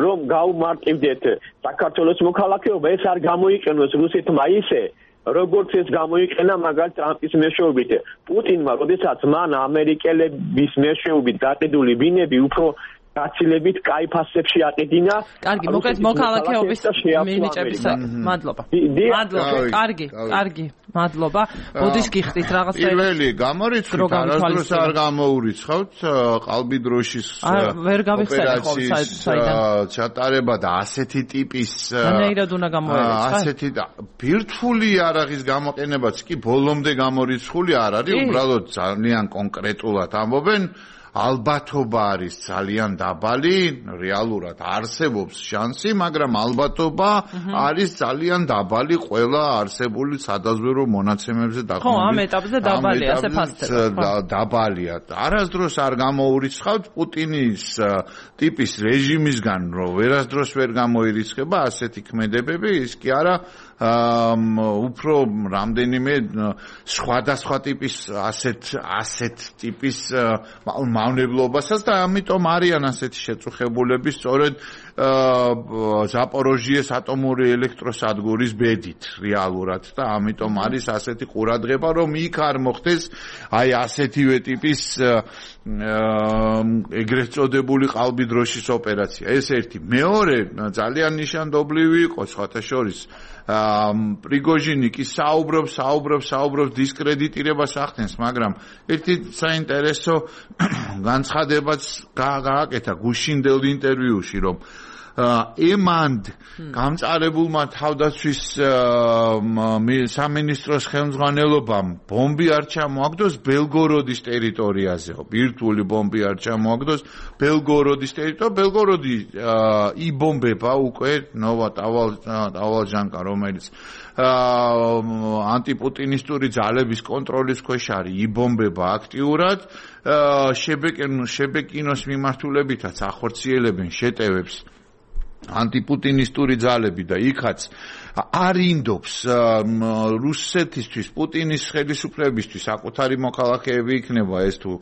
S3: რომ გაუმარტივდეთ საქართველოს მოქალაქეობა, ეს არ გამოიყენოს რუსეთმა ისე, როგორც ეს გამოიყენა მაგალითად ტრამპის მეშვეობით. პუტინმა, როდესაც მან ამერიკელების მეშვეობით გაყიდული ბინები უფრო გაცილებით კაი ფასებში აყიდინა.
S1: კარგი, მოკლედ მოქალაქეობის მინიჭების მადლობა. კარგი, მადლობა. ბოდის გიხდით რაღაცა.
S2: პირველი გამორიცხავთ, არასდროს არ გამოურიცხავთ ყალბი დროშის ოპერაციის ჩატარება და ასეთი ტიპის
S1: ნეირად უნდა გამოერეცხა.
S2: ასეთი ბირთვული იარაღის გამოყენებაც კი ბოლომდე გამორიცხული არ არის, უბრალოდ ძალიან კონკრეტულად ამბობენ ალბათობა არის ძალიან დაბალი, რეალურად არსებობს შანსი, მაგრამ ალბათობა არის ძალიან დაბალი ყველა არსებული სადაზვერვო მონაცემებზე დაყრდნობით.
S1: ხო, ამ ეტაპზე დაბალია, ასე ფასდება.
S2: დაბალია. არასდროს არ გამოურიცხავთ პუტინის ტიპის რეჟიმისგან, რომ ვერასდროს ვერ გამოირიცხება ასეთი ქმედებები, ის კი არა უფრო რამდენიმე სხვადასხვა ტიპის ასეთ ტიპის მავნებლობასაც და ამიტომ არიან ასეთი შეწუხებულები სწორედ ზაპოროჟიეს ატომური ელექტროსადგურის ბედით რეალურად და ამიტომ არის ასეთი ყურადღება რომ იქ არ მოხდეს აი ასეთივე ტიპის ეგრეთ წოდებული ყალბი დროშის ოპერაცია. ეს ერთი. მეორე ძალიან ნიშანდობლივი იყო სხვათა შორის პრიგოჟინი კი საუბრობს დისკრედიტირებას ახდენს, მაგრამ ერთი საინტერესო განცხადებაც გააკეთა გუშინდელ ინტერვიუში, რომ ემანდ გამწარებულმა თავდაცვის სამინისტროს ხელმძღვანელობამ ბომბი არ ჩამოაგდოს ბელგოროდის ტერიტორიაზეო. ბირთვული ბომბი არ ჩამოაგდოს ბელგოროდის ტერიტორიაზე. ბელგოროდი იბომბება უკვე ნოვა ტავალჟანკა, რომელიც ანტიპუტინისტური ძალების კონტროლის ქვეშ არის, იბომბება აქტიურად. შებეკინოს მიმართულებითაც ახორციელებენ შეტევებს ანტიპუტინისტური ძალები და იქაც არინდობს რუსეთისთვის, პუტინის ხელისუფლებისთვის საკუთარი მოქალაქეები იქნება ეს თუ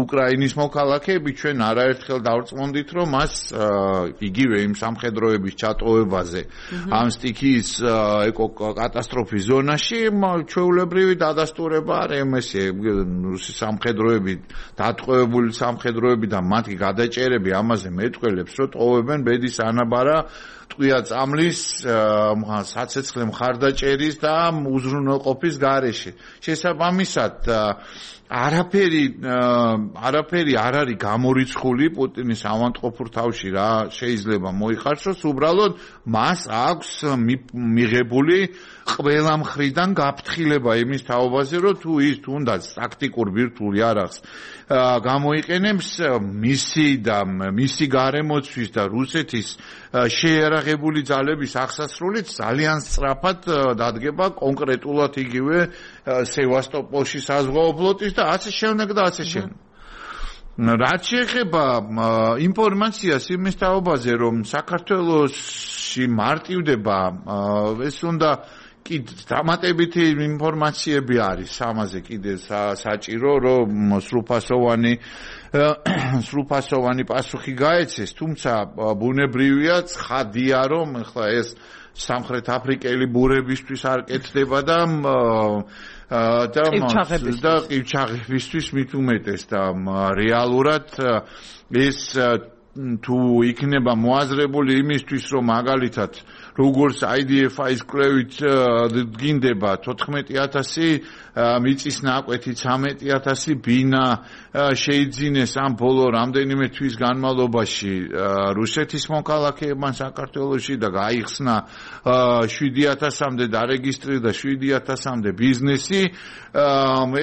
S2: უკრაინის მოქალაქეები, ჩვენ არაერთხელ დავწმუნდით, რომ მას იგივე იმ სამხედროების ჩატოვებაზე ამ სტიქიის ეკოკატასტროფის ზონაში ჩვეულებრივი დადასტურება არ ემესე რუსი სამხედროები, დატყვევებული სამხედროები და მათი გადაჭერები ამაზე მეტყველებს, რომ ტოვებენ ბედის ანაბარა ტყვია წამლის საცეცხლე მხარდაჭერის და უზრუნველყოფის გარეშე. შესაბამისად არაფერი არ არის გამორიცხული პუტინის ავანტყოფურ თავში რა შეიძლება მოიხარშოს, უბრალოდ მას აქვს მიღებული ყველა მხრიდან გაფრთხილება იმის თაობაზე, რომ თუ ის თუნდაც ტაქტიკურ ბირთვულ იარაღს გამოიყენებს მისი გარემოცვის და რუსეთის შეიარაღებული ძალების აღსასრულით ძალიან სწრაფად დადგება კონკრეტულად იგივე სევასტოპოლში საზღვაო ფლოტის და ასე შემდეგ და ასე შემდეგ. რაც შეეხება ინფორმაციას იმის თაობაზე, რომ საქართველოში მარტივდება ეს უნდა კი დამატებითი ინფორმაციები არის ამაზე კიდე საჭირო, რომ სრულფასოვანი პასუხი გაეცეს, თუმცა ბუნებრივია ცხადია, რომ ახლა ეს სამხრეთ აფრიკელი ბურებისთვის არ კეთდება და ყივჩაღებისთვის მით უმეტეს და რეალურად ეს თუ იქნება მოაზრებული იმისთვის, რომ მაგალითად როგორც IDF-ის კვლევით დგინდება 14,000 მიწის ნაკვეთი 13,000 ბინა შეიძინეს ამ ბოლო რამდენიმე თვის განმავლობაში რუსეთის მოქალაქეებმა საქართველოში და გაიხსნა 7,000-მდე დარეგისტრირდა 7,000-მდე ბიზნესი.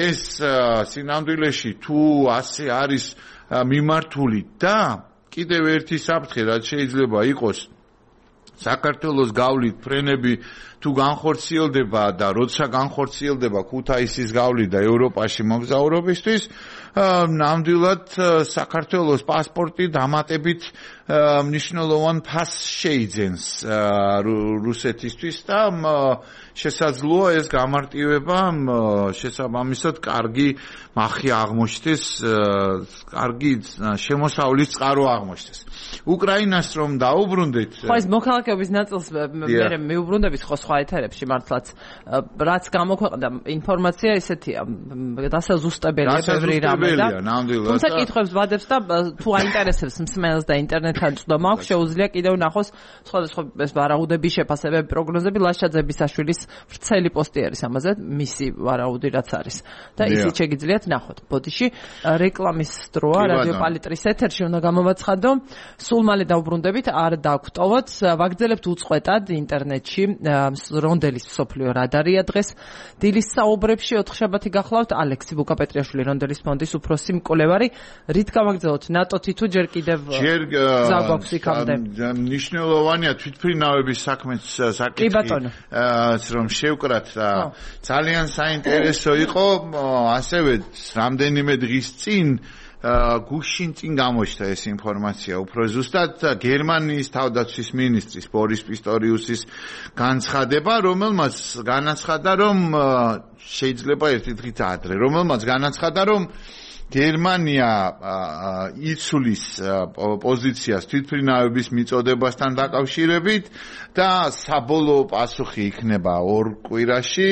S2: ეს სინამდვილეში თუ ასე არის მიმართული და კიდევ ერთი საფრთხე რაც შეიძლება იყოს საქართველოს გავლით ფრენები თუ განხორციელდება და როცა განხორციელდება ქუთაისის გავლით და ევროპაში მოგზაურობისთვის ნამდვილად საქართველოს პასპორტი დამატებით მნიშვნელოვან ფასს შეიძენს რუსეთისთვის და შესაძლოა ეს გამარტივება შესაბამისად კარგი მახი აღმოჩნდეს, კარგი შემოსავლის წყარო აღმოჩნდეს. უკრაინას რომ დაუბრუნდეთ,
S1: ხო ეს მოქალაქეობის ნაწილს მე მიუბრუნდებით ხო სხვა სხვა ეთერებში მართლაც რაც გამოქვეყნდა ინფორმაცია ესეთია დასაზუსტებელია ბევრი რამე და თუმცა კითხვებს ვადებს და თუ აინტერესებს მსმენელს და ინტერნეტთან წვდომა აქვს შეუძლია კიდევ ნახოს სხვადასხვა ეს ვარაუდები შეფასებები პროგნოზები ლაშა ძებისაშვილის ვრცელი პოსტი არის ამაზე მისი ვარაუდი რაც არის და ისიც შეგიძლიათ ნახოთ ბოდიში რეკლამის დროა რადიო პალიტრის ეთერში უნდა გამოვაცხადო სულ მალე დავბრუნდებით არ დაგვტოვოთ ვაგრძელებთ უწყვეტად ინტერნეტში რონდელის მსოფლიო რადარია დღეს დილის საუბრებში 4 შაბათი გახლავთ ალექსი ბუკაპეტრიაშვილი რონდელის ფონდის უფროსი მკვლევარი რით გავაგრძელოთ ნატოთი თუ ჯერ კიდევ ზაგვაქვს იქამდე
S2: მნიშვნელოვანია თვითმფრინავების საქმეც საკითხი რომ შევკრათ ძალიან საინტერესო იყო ასევე რამდენიმე დღის წინ გუშინ წინ გამოჩნდა ეს ინფორმაცია უფრო ზუსტად გერმანიის თავდაცვის მინისტრის ბორის პისტორიუსის განცხადება რომელმაც განაცხადა რომ შეიძლება ერთი დღით ადრე რომელმაც განაცხადა რომ გერმანია იცვლის პოზიციას თვითმფრინავების მიწოდებასთან დაკავშირებით და საბოლოო პასუხი იქნება 2 კვირაში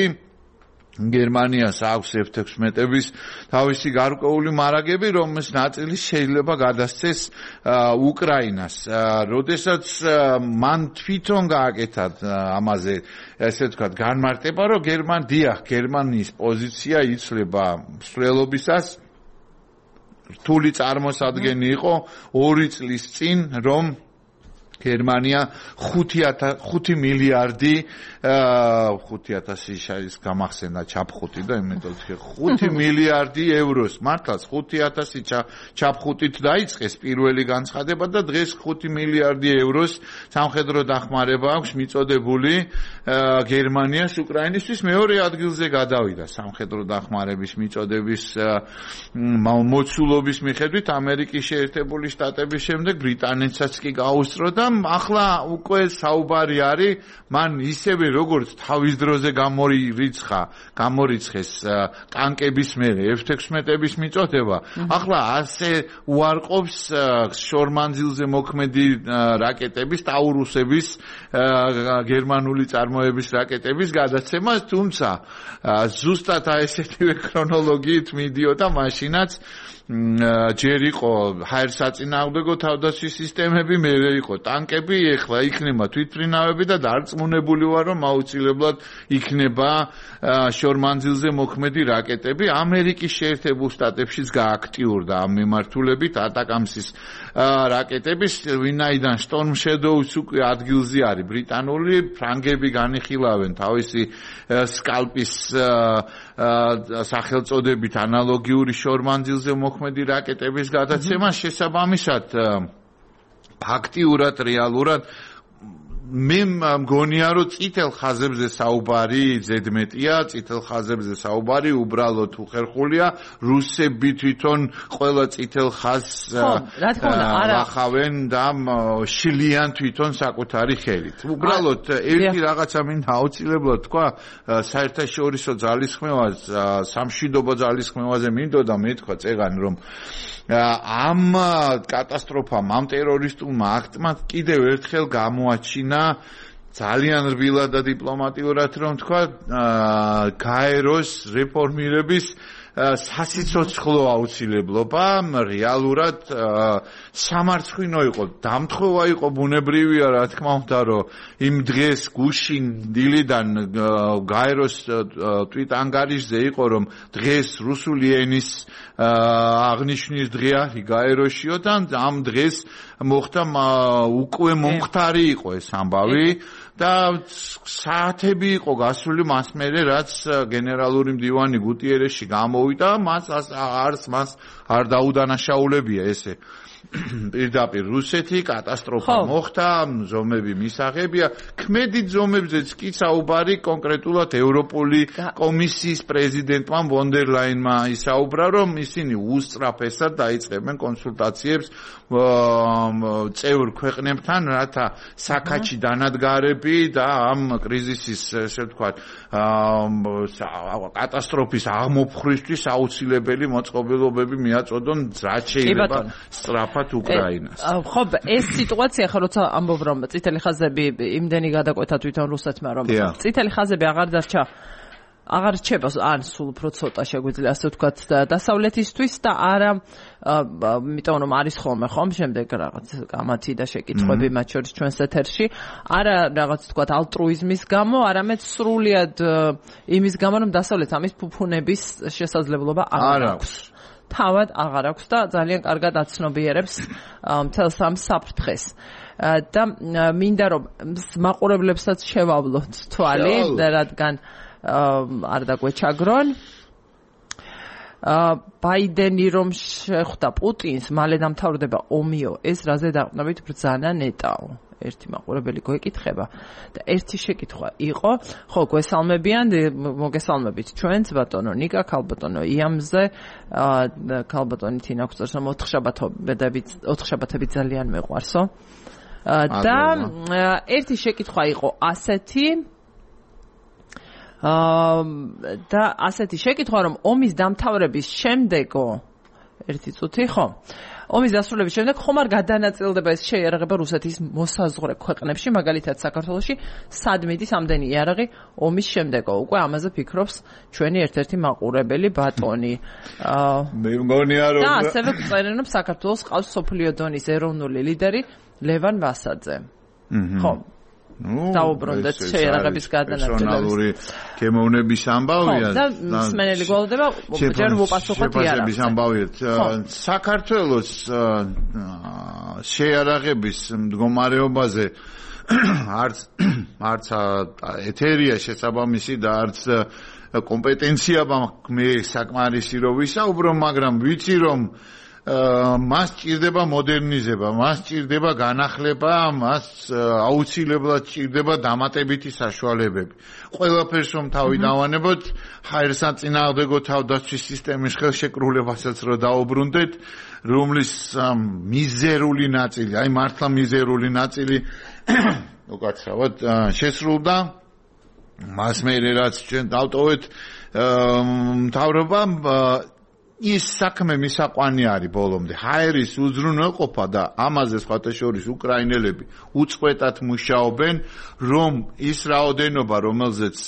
S2: გერმანიას აქვს F-16-ების თავისი გარკვეული მარაგები, რომელის ნაწილი შეიძლება გადასცეს უკრაინას. როდესაც მან თვითონ გააკეთა ამაზე, ესე ვთქვათ, განმარტება, რომ გერმანიის პოზიცია იცვლება მსვლელობისას რთული წარმოსადგენი იყო 2 წლის წინ, რომ გერმანია 5 მილიარდი 5,000 ის გამახსენდა ჩაფხუტი და იმედოთ 5 მილიარდი ევროს მართლაც 5,000 ჩაფხუტით დაიწყეს პირველი განცხადება და დღეს 5 მილიარდი ევროს სამხედრო დახმარება აქვს მიწოდებული გერმანიას უკრაინისთვის მეორე ადგილზე გადავიდა სამხედრო დახმარების მიწოდების მოცულობის მიხედვით ამერიკის შეერთებული შტატების შემდეგ ბრიტანეთსაც კი გაუსწრო და ახლა უკვე საუბარი არის მან ისევე როგორც თავის დროზე გამორიცხეს ტანკების მერე F-16-ების მიწოდება ახლა ასე უარყოფს შორმანძილზე მოქმედი რაკეტების ტაურუსების გერმანული წარმოების რაკეტების გადაცემას თუმცა ზუსტად ესეთივე ქრონოლოგიით მიდიოდა მაშინაც ჯერ იყო ჰაერსაწინააღმდეგო თავდაცვის სისტემები, მერე იყო ტანკები, ეხლა იქნება თვითმფრინავები და დარწმუნებული ვარ, რომ აუცილებლად იქნება შორმანძილზე მოქმედი რაკეტები. ამერიკის შეერთებულ შტატებშიც გააქტიურდა ამ მიმართულებით ატაკამსის რაკეტების, ვინაიდან Storm Shadow-ს უკვე ადგილზე არის ბრიტანული, ფრანგები განიხილავენ თავისი სკალპის სახელწოდებით ანალოგიური შორმანძილზე მოქმედი რაკეტების გადაცემას შესაბამისად ფაქტიურად რეალურად მე მგონია რომ წითელ ხაზებზე საუბარი ზედმეტია წითელ ხაზებზე საუბარი უბრალოდ უხერხულია რუსები თვითონ ყველა წითელ ხაზს ახავენ და შლიან თვითონ საკუთარი ხელით უბრალოდ ერთი რაღაცა მინდა აუცილებლად თქვა საერთაშორისო ძალისხმევას სამშვიდობო ძალისხმევაზე მინდოდა მეთქვა წეგან რომ ამ კატასტროფამ ამ ტერორისტულმა აქტმა კიდევ ერთხელ გამოაჩინა ძალიან რბილად და დიპლომატიურად რომ თქვა გაეროს რეფორმირების სასიცოცხლო აუცილებლობა რეალურად სამარცხვინო იყო დამთხოვა იყო ბუნებრივია რა თქმა უნდა რომ იმ დღეს გუშინ დილიდან გაეროს ტვიტ-ანგარიშზე იყო რომ დღეს რუსული ენის აღნიშვნის დღე არის გაეროშიო და ამ დღეს მოხდა უკვე მომხდარი იყო ეს ამბავი და საათები იყო გასული მას მერე რაც გენერალური მდივანი გუტიერეში გამოვიდა მას არ დაუდანაშაულებია ესე პირდაპირ რუსეთი კატასტროფა მოხდა ზომები მისაღებია ქმედით ზომებზეც კი საუბარი კონკრეტულად ევროპული კომისიის პრეზიდენტმა ვონ დერ ლაინმა ისაუბრა რომ ისინი უსწრაფესად დაიწყებენ კონსულტაციებს წევრ ქვეყნებთან რათა საქაჩი დანადგარები და ამ კრიზისის ესე ვთქვათ კატასტროფის აღმოფხრისთვის აუცილებელი მოწყობილობები მიაწოდონ რაც შეიძლება სწრაფ სწრაფად უკრაინას.
S1: ხო, ეს სიტუაცია ხო როცა ამბობ რომ წითელი ხაზები იმდენი გადაკვეთა თვითონ რუსეთმა რომ წითელი ხაზები აღარ რჩება ან სულ უფრო ცოტა შეგვიძლია ასე ვთქვათ დასავლეთისთვის და არა იმიტომ რომ არის ხოლმე ხომ შემდეგ რაღაც გამათი და შეკითხვები მათ შორის ჩვენს ეთერში არა რაღაც ვთქვათ ალტრუიზმის გამო არამედ სრულიად იმის გამო რომ დასავლეთ ამის ფუფუნების შესაძლებლობა არ აქვს თავად აღარ აქვს და ძალიან კარგად აცნობიერებს მთელს ამ საფრთხეს და მინდა რომ მაყურებლებსაც შევავლოთ თვალი რადგან არ დაგვეჩაგრონ ბაიდენი რომ შეხვდა პუტინს მალე დამთავრდება ომიო ეს რაზე დაყნობით ბრძანა ნეტაო ერთი მაყურებელი გვეკითხება და ერთი შეკითხვა იყო ხო გვესალმებიან მოგესალმებით ჩვენც ბატონო ნიკა ქალბატონო იამზე ქალბატონი თინა გვწევს რომ 4 შაბათები ძალიან მეყვარსო და ერთი შეკითხვა იყო ასეთი და ასეთი შეკითხვა რომ ომის დამთავრების შემდეგო ერთი წუთი ხო ომის დასრულების შემდეგ ხომ არ გადანაწილდება ეს შეიარაღება რუსეთის მოსაზღვრე ქვეყნებში მაგალითად საქართველოში სად მიდის ამდენი იარაღი ომის შემდეგო უკვე ამაზე ფიქრობს ჩვენი ერთ-ერთი მაყურებელი ბატონი
S2: მე მგონია რომ
S1: და ასევე წერენ რომ საქართველოს ყავს სოფლიო დონის ეროვნული ლიდერი ლევან ვასაძე ხო დაუბრუნდეთ შეიარაღების გადანაწილებას.
S2: პერსონალური გემოვნების ამბავია
S1: და მსმენელი გვალდება ჯერ უპასუხოთ
S2: იარაღების ამბავია. საქართველოს შეიარაღების მდგომარეობაზე არც ეთერია შესაბამისი და არც კომპეტენცია მე საკმარისი რო ვისაუბრო, მაგრამ ვიცი რომ მას ჭირდება მოდერნიზება, მას ჭირდება განახლება, მას აუცილებლად ჭირდება დამატებითი საშუალებები. ყველაფერს რომ თავი დავანებოთ, ჰაერსაწინააღმდეგო თავდაცვის სისტემის ხელშეკრულებასაც რო დაუბრუნდეთ, რომლის მიზერული ნაწილი, აი მართლა მიზერული ნაწილი უკაცრავად შესრულდა. მას მე რაც ჩვენ დავტოვეთ მთავრობამ ის საქმე მისაყვანი არის ბოლომდე. ჰაერის უზრუნველყოფა და ამაზე სხვათა შორის უკრაინელები უწყვეტად მუშაობენ, რომ ის რაოდენობა, რომელზეც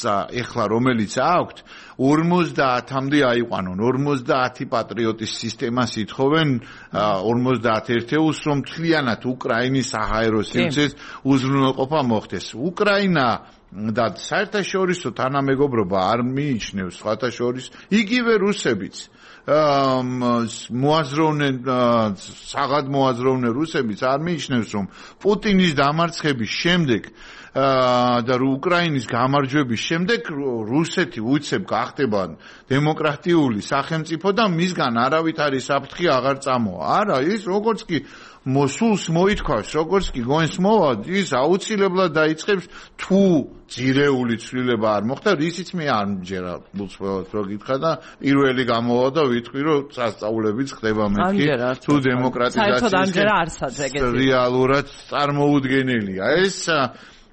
S2: ეხლა რომელიც აქვთ, 50-მდე აიყვანონ. 50 პატრიოტის სისტემას ითხოვენ 51 ერთეულს, რომ მთლიანად უკრაინის საჰაერო სივრცეს უზრუნველყოფა მოხდეს. უკრაინა და საერთაშორისო თანამეგობრობა არ მიიჩნევს სხვათა შორის იგივე რუსებიც საღად მოაზროვნე რუსებიც არ მიიჩნევს რომ პუტინის დამარცხების შემდეგ და უკრაინის გამარჯვების შემდეგ რუსეთი უცებ გახდება დემოკრატიული სახელმწიფო და მისგან არავითარი საფრთხე აღარ წამოვა. არა, ის როგორც კი მოსულს მოითქვას, როგორც კი გონს მოვა, ის აუცილებლად დაიწყებს თუ ძირეული ცვლილება არ მოხდა, რისიც მე არ მჯერა უცხოელად რო გითხრა და პირველი გამოვა და ვიტყვი რომ სასწაულებიც ხდება მეთქი თუ დემოკრატიზაციის რეალურად წარმოუდგენელია. ეს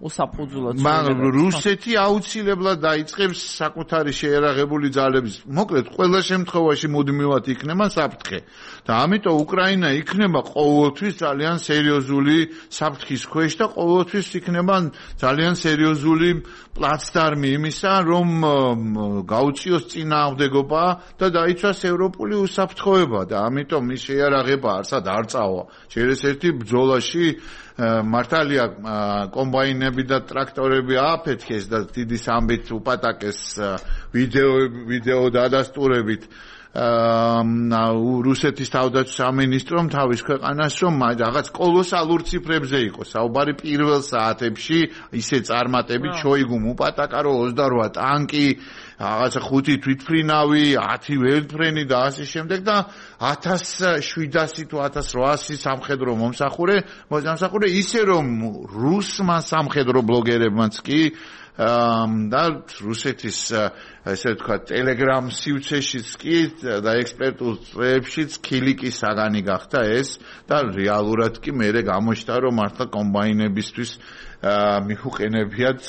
S1: უსაფუძვლოდ
S2: მაგრამ რუსეთი აუცილებლად დაიწყებს საკუთარი შეიარაღებული ძალების მოკლედ ყველა შემთხვევაში მუდმივად იქნება საფრთხე და ამიტომ უკრაინა იქნება ყოველთვის ძალიან სერიოზული საფრთხის ქვეშ და ყოველთვის იქნება ძალიან სერიოზული პლაცდარმი იმისა რომ გაუწიოს წინააღმდეგობა და დაიცვას ევროპული უსაფრთხოება და ამიტომ ის შეიარაღება არსად არ წავა შეიძლება ბრძოლაში მართალია კომბაინები და ტრაქტორები ააფეთქეს და დიდი სამბით უპატაკეს ვიდეო დადასტურებით რუსეთის თავდაცვის სამინისტრომ თავის ქვეყანას რომ რაღაც კოლოსალურ ციფრებზე იყო საუბარი პირველ საათებში ისე წარმატებით შოიგუმ უპატაკა რომ 28 ტანკი რაღაცა 5 თვითმფრინავი 10 ველფრენი და ასე შემდეგ და 1700 თუ 1800 სამხედრო მომსახურე ისე რომ რუსმა სამხედრო ბლოგერებმაც კი და რუსეთის ესე ვთქვათ ტელეგრამ სივრცეშიც კი და ექსპერტულ წრეებშიც ქილიკი საგანი გახდა ეს და რეალურად კი მე გამოჩნდა რომ მართლა კომბაინებისთვის მიუყენებიათ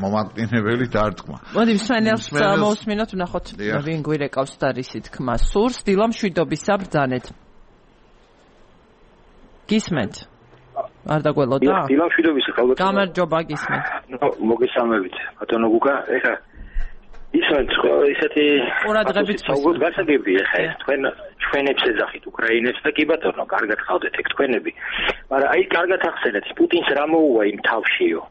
S2: მომაკვდინებელი დარტყმა.
S1: მოდი მსმენელს მოусმინოთ ვნახოთ ვინ გვირეკავს და რისი თქმა სურს დილა მშვიდობის საბრძანეთ. გისმენთ? არ დაგველოდა?
S4: დილამშვიდობის ხალხო.
S1: გამარჯობა გისმენთ.
S4: მოგესალმებით. ბატონო გუგა, ეხა ისეთ
S1: ყურადღებით
S4: საუბრობ გასაგებია ხა ჩვენებს ეძახით უკრაინებს და კი ბატონო კარგად ხავდეთ ეგ თქვენები მაგრამ აი კარგად ახსენეთ პუტინს რა მოუვა იმ თავშიო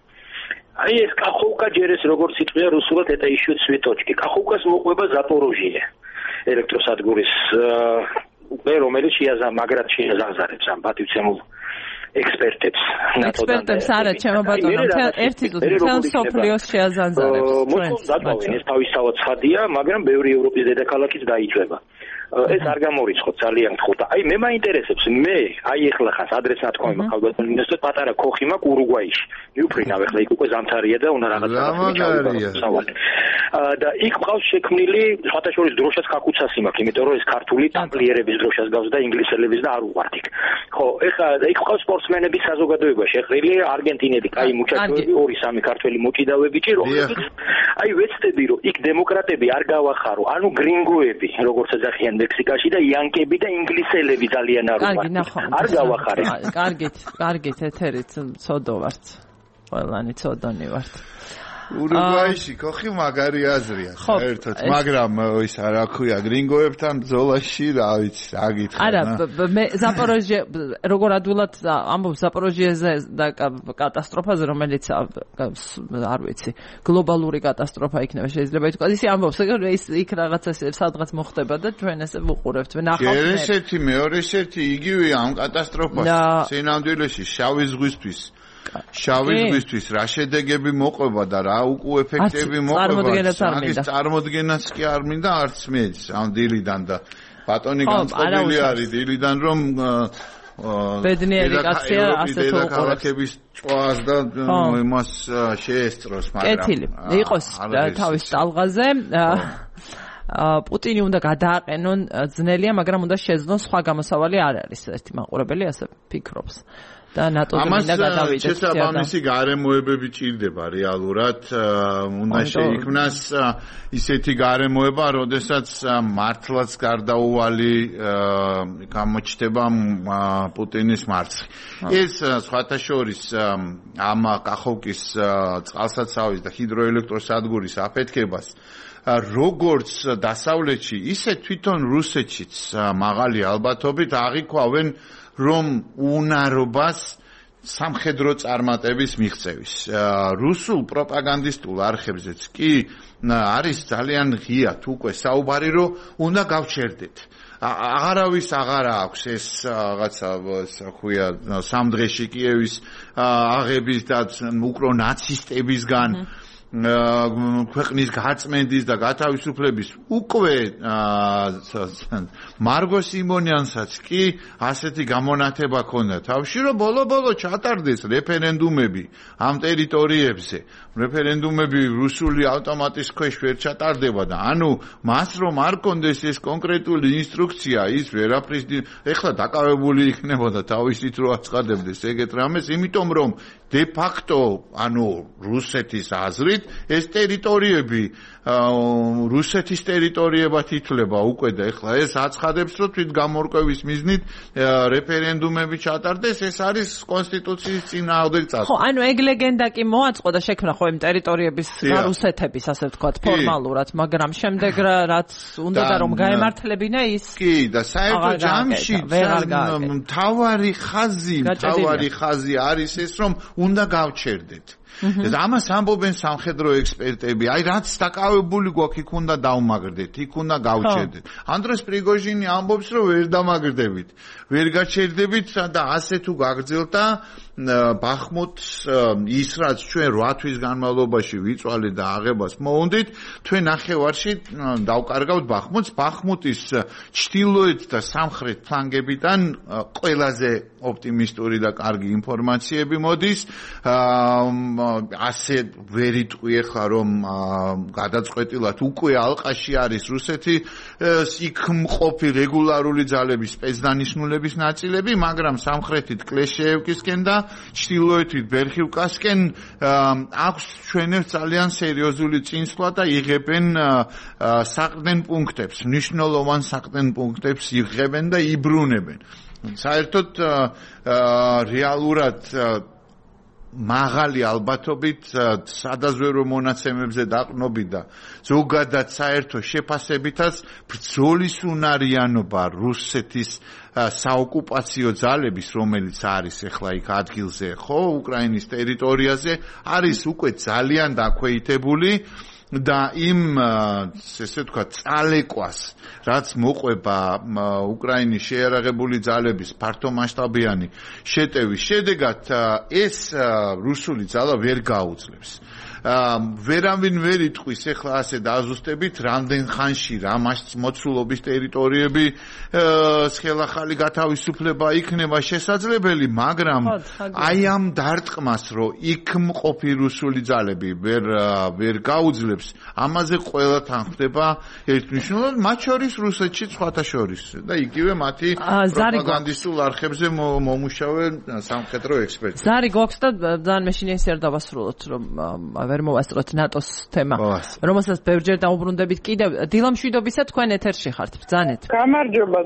S4: აი ეს კახოვკა ჯერეს როგორც იტყვია რუსულად eta issue цветочки კახოვკას მოყვება ზაპოროჟიე ელექტროსადგურის უკვე რომელიც მაგრად შეაზარებს ამ პატივცემულ ექსპერტებს
S1: არა ჩემო ბატონო ერთი თელ სოფლიოს შეაზანზარებს
S4: მოწოდავენ ეს თავისთავად ცხადია მაგრამ ბევრი ევროპის დედაქალაქიც დაიჭვება ეს არ გამორიცხოთ ძალიან გთხოვთ აი მე მაინტერესებს მე აი ეხლა ხას ადრეს ნათქვამი მაქვს ბატონო მინისტრ პატარა ქოხი მაქვს ურუგვაიში მიუფრინავ ეხლა იქ უკვე ზამთარია და უნდა რაღაცა და იქ ყავს შექმნილი სხვათა შორის დროშას კაკუცასი მაქვს იმიტომ რომ ეს ქართული ტამპლიერების დროშას გავს და ინგლისელების და არ უყვართ იქ ხო ეხლა იქ ყავს სპორტსმენების საზოგადოება შეყრილი არგენტინელი კაი მუჩაჩოები 2-3 ქართველი მოჭიდავები ჭირო აი ვეცდები რომ იქ დემოკრატები არ გავახარო ანუ გრინგოები როგორც ეძახიან მექსიკაში და იანკები და ინგლისელები ძალიან არ უყვართ არ გავახარე
S1: კარგით ეთერით ცოდო ვართ ყველანი ცოდონი ვართ
S2: ურუგვაიში ქოხი მაგარი აზრია საერთოდ მაგრამ ის რა ქვია გრინგოებთან ბრძოლაში რა ვიცი რა გითხრა
S1: არა მე ზაპოროჟიე როგორ ადვილად ამბობს ზაპოროჟიეზე და კატასტროფაზე რომელიც არ ვიცი გლობალური კატასტროფა იქნება შეიძლება ითქვას ისი ამბობს ის იქ რაღაცა სადღაც მოხდება და ჩვენ ესე ვუყურებთ
S2: ნახავთ ერთ-ერთი მეორე ერთი იგივე ამ კატასტროფას სინამდვილეში შავი ზღვისთვის შავი ზღვისთვის რა შედეგები მოყვება და რა უკუ ეფექტები მოყვება მაგის წარმოდგენაც კი არ მინდა არც მეც ამ დილიდან და ბატონი განწყობილი არის დილიდან რომ
S1: ბედნიერი კაცია ასე თუ
S2: უყურებს ჭვას და იმას შეესწროს მაგრამ
S1: კეთილი იყოს თავის ტალღაზე პუტინი უნდა გადააყენონ ძნელია მაგრამ უნდა შეძლონ სხვა გამოსავალი არ არის ერთი მაყურებელი ასე ფიქრობს და ნატოზე მინდა გადავიდეთ.
S2: შესაბამისი გარემოებები ჭირდება რეალურად. უნდა შეიქმნას ისეთი გარემოება, როდესაც მართლაც გარდაუვალი გამოჩნდება პუტინის მარცხი. ეს სხვათა შორის ამ კახოვკის წყალსაცავის და ჰიდროელექტროსადგურის აფეთქებას როგორც დასავლეთში, ისე თვითონ რუსეთშიც მაღალი ალბათობით აღიქვავენ რომ უნარობას სამხედრო წარმატების მიღწევის. რუსულ პროპაგანდისტულ არხებზეც კი არის ძალიან ღიად უკვე საუბარი, რომ უნდა გავჩერდეთ. აღარავის აღარა აქვს ეს რაღაცა საქვია სამ დღეში კიევის აღების და უკრონაცისტებისგან ქვეყნის გაწმენდის და გათავისუფლების უკვე მარგო სიმონიანსაც კი ასეთი გამონათება ქონდა თავში რომ ბოლო-ბოლო ჩატარდეს რეფერენდუმები ამ ტერიტორიებზე რეფერენდუმები რუსული ავტომატის ქვეშ ვერ ჩატარდება და ანუ მას რომ არ კონდეს ეს კონკრეტული ინსტრუქცია ის ვერაფრის ეხლა დაკავებული იქნებოდა თავისით რო აწყდებდეს ეგეთ რამეს იმიტომ რომ de facto ანუ რუსეთის აზრით ეს ტერიტორიები რუსეთის ტერიტორიებად ითვლება უკვე და ეხლა ეს აცხადებს რომ თვით გამორკვევის მიზნით რეფერენდუმები ჩატარდეს ეს არის კონსტიტუციის წინააღმდეგ წასვლა.
S1: ხო, ანუ ეგ ლეგენდა კი მოაწყო და შექმნა ხო იმ ტერიტორიების რუსეთების ასე ვთქვათ ფორმალურად, მაგრამ შემდეგ რაც უნდა და რომ გაემართლებინა ის
S2: კი და საერთო ჯამში მთავარი ხაზი არის ეს რომ უნდა გავჩერდეთ. ამას ამბობენ სამხედრო ექსპერტები. აი რაც დაკავებული გვაქვს იქ უნდა დავმაგრდეთ, იქ უნდა გავჩერდეთ. ანდრეს პრიგოჟინი ამბობს რომ ვერ დამაგრდებით, ვერ გაჩერდებით და ასე თუ გაგრძელდა ბახმუტს ის რაც ჩვენ 8 თვის განმავლობაში ვიწვალეთ და აღებას მოუნდით, ჩვენ ნახევარში დავკარგავთ ბახმუტს. ბახმუტის ჩრდილოეთ და სამხრეთ ფლანგებიდან ყველაზე ოპტიმისტური და კარგი ინფორმაციები მოდის. ასე ვერ იტყვი ახლა რომ გადაწყვეტილად უკვე ალყაში არის რუსეთი იქ მყოფი რეგულარული ძალების სპეცდანიშნულების ნაწილები, მაგრამ სამხრეთით კლეშეევკისკენ და ჩრდილოეთით ბერხივკასკენ აქვს ჩვენებს ძალიან სერიოზული წინსვლა და იღებენ საყრდენ პუნქტებს, მნიშვნელოვან საყრდენ პუნქტებს იღებენ და იბრუნებენ. საერთოდ რეალურად მაღალი ალბათობით სადაზვერო მონაცემებზე დაყრდნობით და ზოგადად საერთო შეფასებითაც ბრძოლის უნარიანობა რუსეთის საოკუპაციო ძალების, რომელიც არის ახლა იქ ადგილზე, ხო, უკრაინის ტერიტორიაზე, არის უკვე ძალიან დაქვეითებული და იმ ესე ვთქვათ წალეკვას, რაც მოყვება უკრაინის შეიარაღებული ძალების ფართომასშტაბიანი შეტევის შედეგად, ეს რუსული ძალა ვერ გაუძლებს. ვერავინ ვერ იტყვის ახლა ასე დააზუსტებით რამდენ ხანში რა მოცულობის ტერიტორიები ხელახალი გათავისუფლება იქნება შესაძლებელი, მაგრამ აი ამ დარტყმას, რომ იქ მყოფი რუსული ძალები ვერ გაუძლებს, ამაზე ყველა თან ხდება ერთმნიშვნელოვნად, მათ შორის რუსეთში სხვათა შორის და იგივე მათი პროპაგანდისტულ არხებზე მომუშავე სამხედრო ექსპერტები.
S1: ზარი გვაქვს და ძალიან მეშინია ისე არ დავასრულოთ, რომ ვერ მოვასწროთ ნატოს თემა, რომელსაც ბევრჯერ დაუბრუნდებით კიდევ. დილა მშვიდობისა, თქვენ ეთერში ხართ, ბრძანეთ.
S5: გამარჯობა.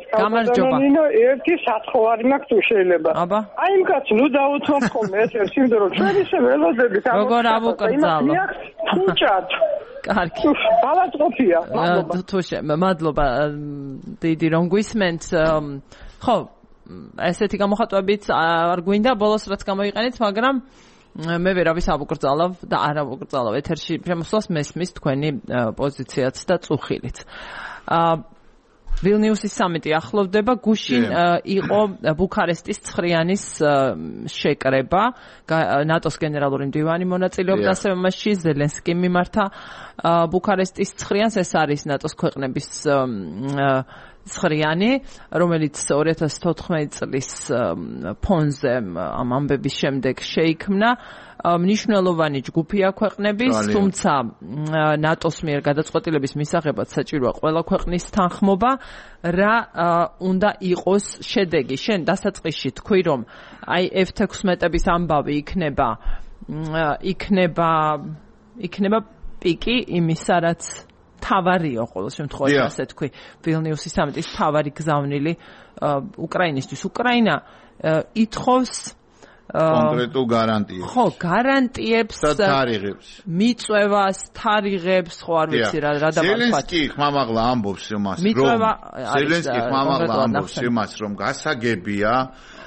S5: ნინო, ერთი სათხოვარი მაქვს თუ შეიძლება. აი იმ კაც ნუ დაუთმობ ხოლმე ეთერში, იმიტომ რომ ჩვენ ისე ველოდებით
S1: ამოწმეთ. როგორ ავუკრძალო?
S5: თუჭად.
S1: კარგი.
S5: ბალანსყოფია.
S1: მადლობა. დიდი რომ გვისმენთ. ხო, ესეთი გამოხატვებით არ გვინდა ბოლოს რაც გამოიყენეთ, მაგრამ მე ვერავის ავუკრძალავ და არ ავუკრძალავ ეთერში შემოსვლას მესმის თქვენი პოზიციაც და წუხილიც. ვილნიუსის სამიტი ახლოვდება, გუშინ იყო ბუქარესტის 9-იანის შეკრება, ნატოს გენერალური მდივანი მონაწილეობდა ასევე მასში, ზელენსკიმ მიმართა ბუქარესტის 9-იანს, ეს არის ნატოს ქვეყნების 9-იანი, რომელიც 2014 წლის ფონზე ამ ამბების შემდეგ შეიქმნა. მნიშვნელოვანი ჯგუფია ქვეყნების, თუმცა ნატოს მიერ გადაწყვეტილების მისაღებად საჭიროა ყველა ქვეყნის თანხმობა. რა უნდა იყოს შედეგი? შენ დასაწყისში თქვი, რომ აი F-16-ების ამბავი იქნება პიკი იმისა, რაც თავარიო ყოველ შემთხვევაში, ასე თქვი, ვილნიუსის სამიტის თავარი გზავნილი უკრაინისთვის. უკრაინა ითხოვს
S2: კონკრეტულ გარანტიებს.
S1: ხო, გარანტიებს
S2: და თარიღებს.
S1: მიწვევას, თარიღებს, ხო არ ვიცი რა დავარქვათ.
S2: ზელენსკი ხმამაღლა ამბობს იმას, რომ გასაგებია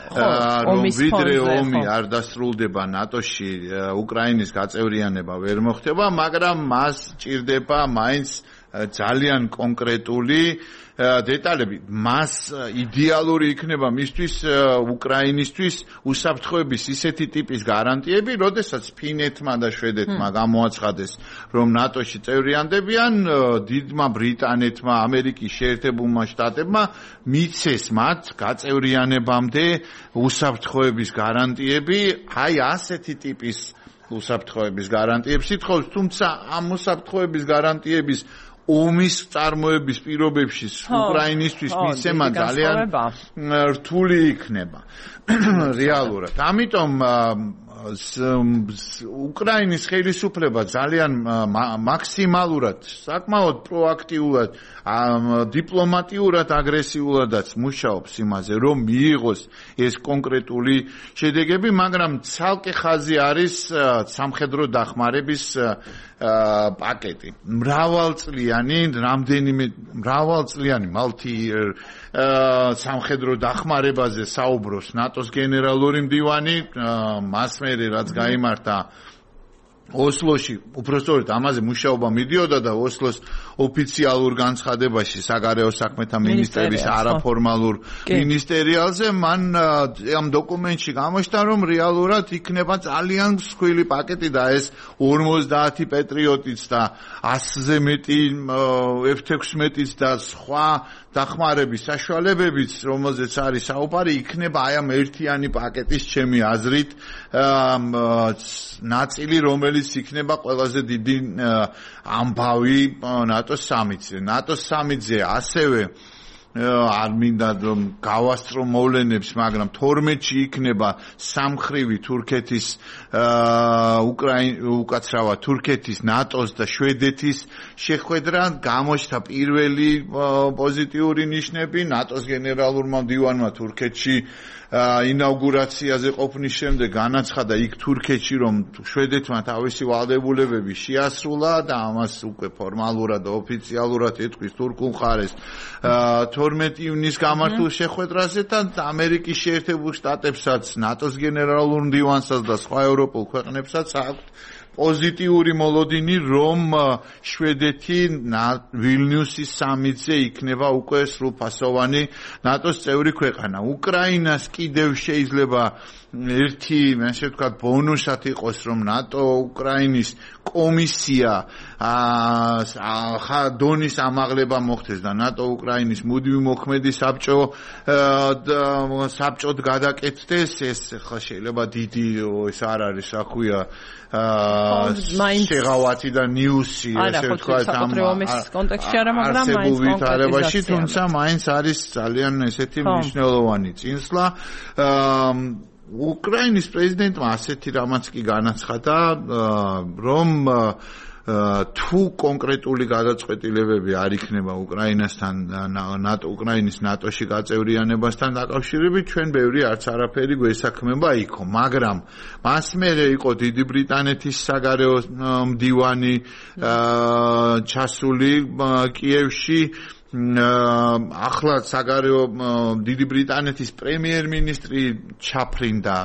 S2: რომ ვიდრე ომი არ დასრულდება ნატოში, უკრაინის გაწევრიანება ვერ მოხდება, მაგრამ მას ჭირდება მაინც ძალიან კონკრეტული დეტალები. მას იდეალური იქნება მისთვის უკრაინისთვის უსაფრთხოების ისეთი ტიპის გარანტიები, როდესაც ფინეთმა და შვედეთმა გამოაცხადეს, რომ ნატოში წევრიანდებიან, დიდმა ბრიტანეთმა, ამერიკის შეერთებულმა შტატებმა მიცეს მათ გაწევრიანებამდე უსაფრთხოების გარანტიები, აი ასეთი ტიპის უსაფრთხოების გარანტიებს ითხოვს, თუმცა ამ უსაფრთხოების გარანტიების ომის წარმოების პირობებში უკრაინისთვის მისცემა ძალიან რთული იქნება რეალურად. ამიტომ უკრაინის ხელისუფლება ძალიან მაქსიმალურად, საკმაოდ პროაქტიულად, დიპლომატიურად, აგრესიულადაც მუშაობს იმაზე, რომ მიიღოს ეს კონკრეტული შედეგები, მაგრამ ცალკე ხაზი არის სამხედრო დახმარების პაკეტი. მრავალწლიანი multi-year სამხედრო დახმარებაზე საუბრობს ნატოს გენერალური მდივანი, მას მერე რაც გაიმართა ოსლოში, უпростоრად ამაზე მუშაობა მიდიოდა და ოსლოს ოფიციალურ განცხადებაში საგარეო საქმეთა მინისტრების არაფორმალურ მინისტერიალზე მან ამ დოკუმენტში გამოჩნდა, რომ რეალურად იქნება ძალიან მსხვილი პაკეტი და ეს 50 პეტრიოტიც და 100-ზე მეტი F-16-იც და სხვა დახმარების საშუალებებიც, რომელზეც არის საუბარი, იქნება აი ამ ერთიანი პაკეტის ჩემი აზრით ნაწილი, რომელიც იქნება ყველაზე დიდი ამბავი ნატოს სამიტზე. ნატოს სამიტზე ასევე არ მინდა გავასწრო მოვლენებს, მაგრამ 12-ში იქნება სამხრივი თურქეთის უკაცრავად თურქეთის, ნატოს და შვედეთის შეხვედრა, გამოჩნდა პირველი პოზიტიური ნიშნები ნატოს გენერალურმა მდივანმა თურქეთში ინაუგურაციაზე ყოფნის შემდეგ განაცხადა იქ თურქეთში, რომ შვედეთმა თავისი ვალდებულებები შეასრულა და ამას უკვე ფორმალურად და ოფიციალურად ეთქვის თურქულ მხარეს 12 ივნისს გამართულ შეხვედრაზე და ამერიკის შეერთებულ შტატებსაც, ნატოს გენერალურ მდივანსაც და სხვა ევროპულ ქვეყნებსაც აქვთ პოზიტიური მოლოდინი, რომ შვედეთი ვილნიუსის სამიტზე იქნება უკვე სრულფასოვანი ნატოს წევრი ქვეყანა. უკრაინას კიდევ შეიძლება ერთი, ასე ვთქვათ, ბონუსად იყოს, რომ ნატო უკრაინის კომისია დონის ამაღლება მოხდეს და ნატო უკრაინის მუდმივი მოქმედი საბჭოდ გადაკეთდეს. ეს ხა შეიძლება დიდი ეს არ არის, რა ქვია, შეღავათი და ნიუსი, ასე ვთქვათ, ამ
S1: კონტექსტში არა, მაგრამ
S2: მაინც ვითარებაში, თუმცა მაინც არის ძალიან ესეთი მნიშვნელოვანი წინსვლა. უკრაინის პრეზიდენტმა ასეთი რამაც კი განაცხადა, რომ თუ კონკრეტული გადაწყვეტილებები არ იქნება უკრაინასთან უკრაინის ნატოში გაწევრიანებასთან დაკავშირებით, ჩვენ ბევრი არც არაფერი გვესაქმება იქო, მაგრამ მას მერე იყო დიდი ბრიტანეთის საგარეო მდივანი ჩასული კიევში, ახლა საგარეო დიდი ბრიტანეთის პრემიერ-მინისტრი ჩაფრინდა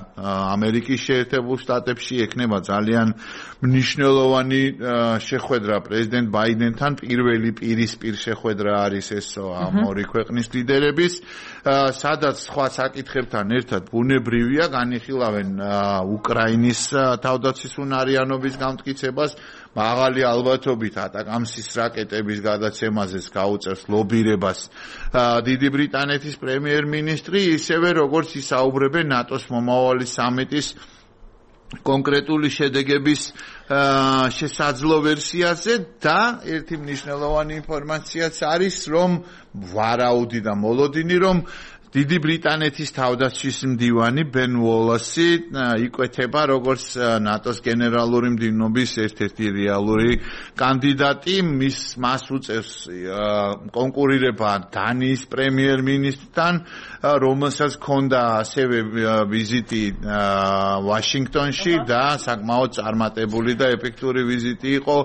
S2: ამერიკის შეერთებულ შტატებში, ექნება ძალიან მნიშვნელოვანი შეხვედრა პრეზიდენტ ბაიდენთან, პირველი პირისპირ შეხვედრა არის ეს ამ ორი ქვეყნის ლიდერების, სადაც სხვა საკითხებთან ერთად ბუნებრივია განიხილავენ უკრაინის თავდაცვის უნარიანობის გამტკიცებას, მაღალი ალბათობით ატაკამსის რაკეტების გადაცემაზეც გაუწევს ლობირებას დიდი ბრიტანეთის პრემიერ-მინისტრი, ისევე როგორც ისაუბრებენ ნატოს მომავალი სამიტის კონკრეტული შედეგების შესაძლო ვერსიაზე და ერთი მნიშვნელოვანი ინფორმაციაც არის, რომ ვარაუდი და მოლოდინი, რომ დიდი ბრიტანეთის თავდაცვის მდივანი ბენ უოლასი იკვეთება როგორც ნატოს გენერალური მდივნობის ერთ-ერთი რეალური კანდიდატი, მას უწევს კონკურირება დანიის პრემიერ-მინისტრთან, რომელსაც ჰქონდა ასევე ვიზიტი ვაშინგტონში და საკმაოდ წარმატებული და ეფექტური ვიზიტი იყო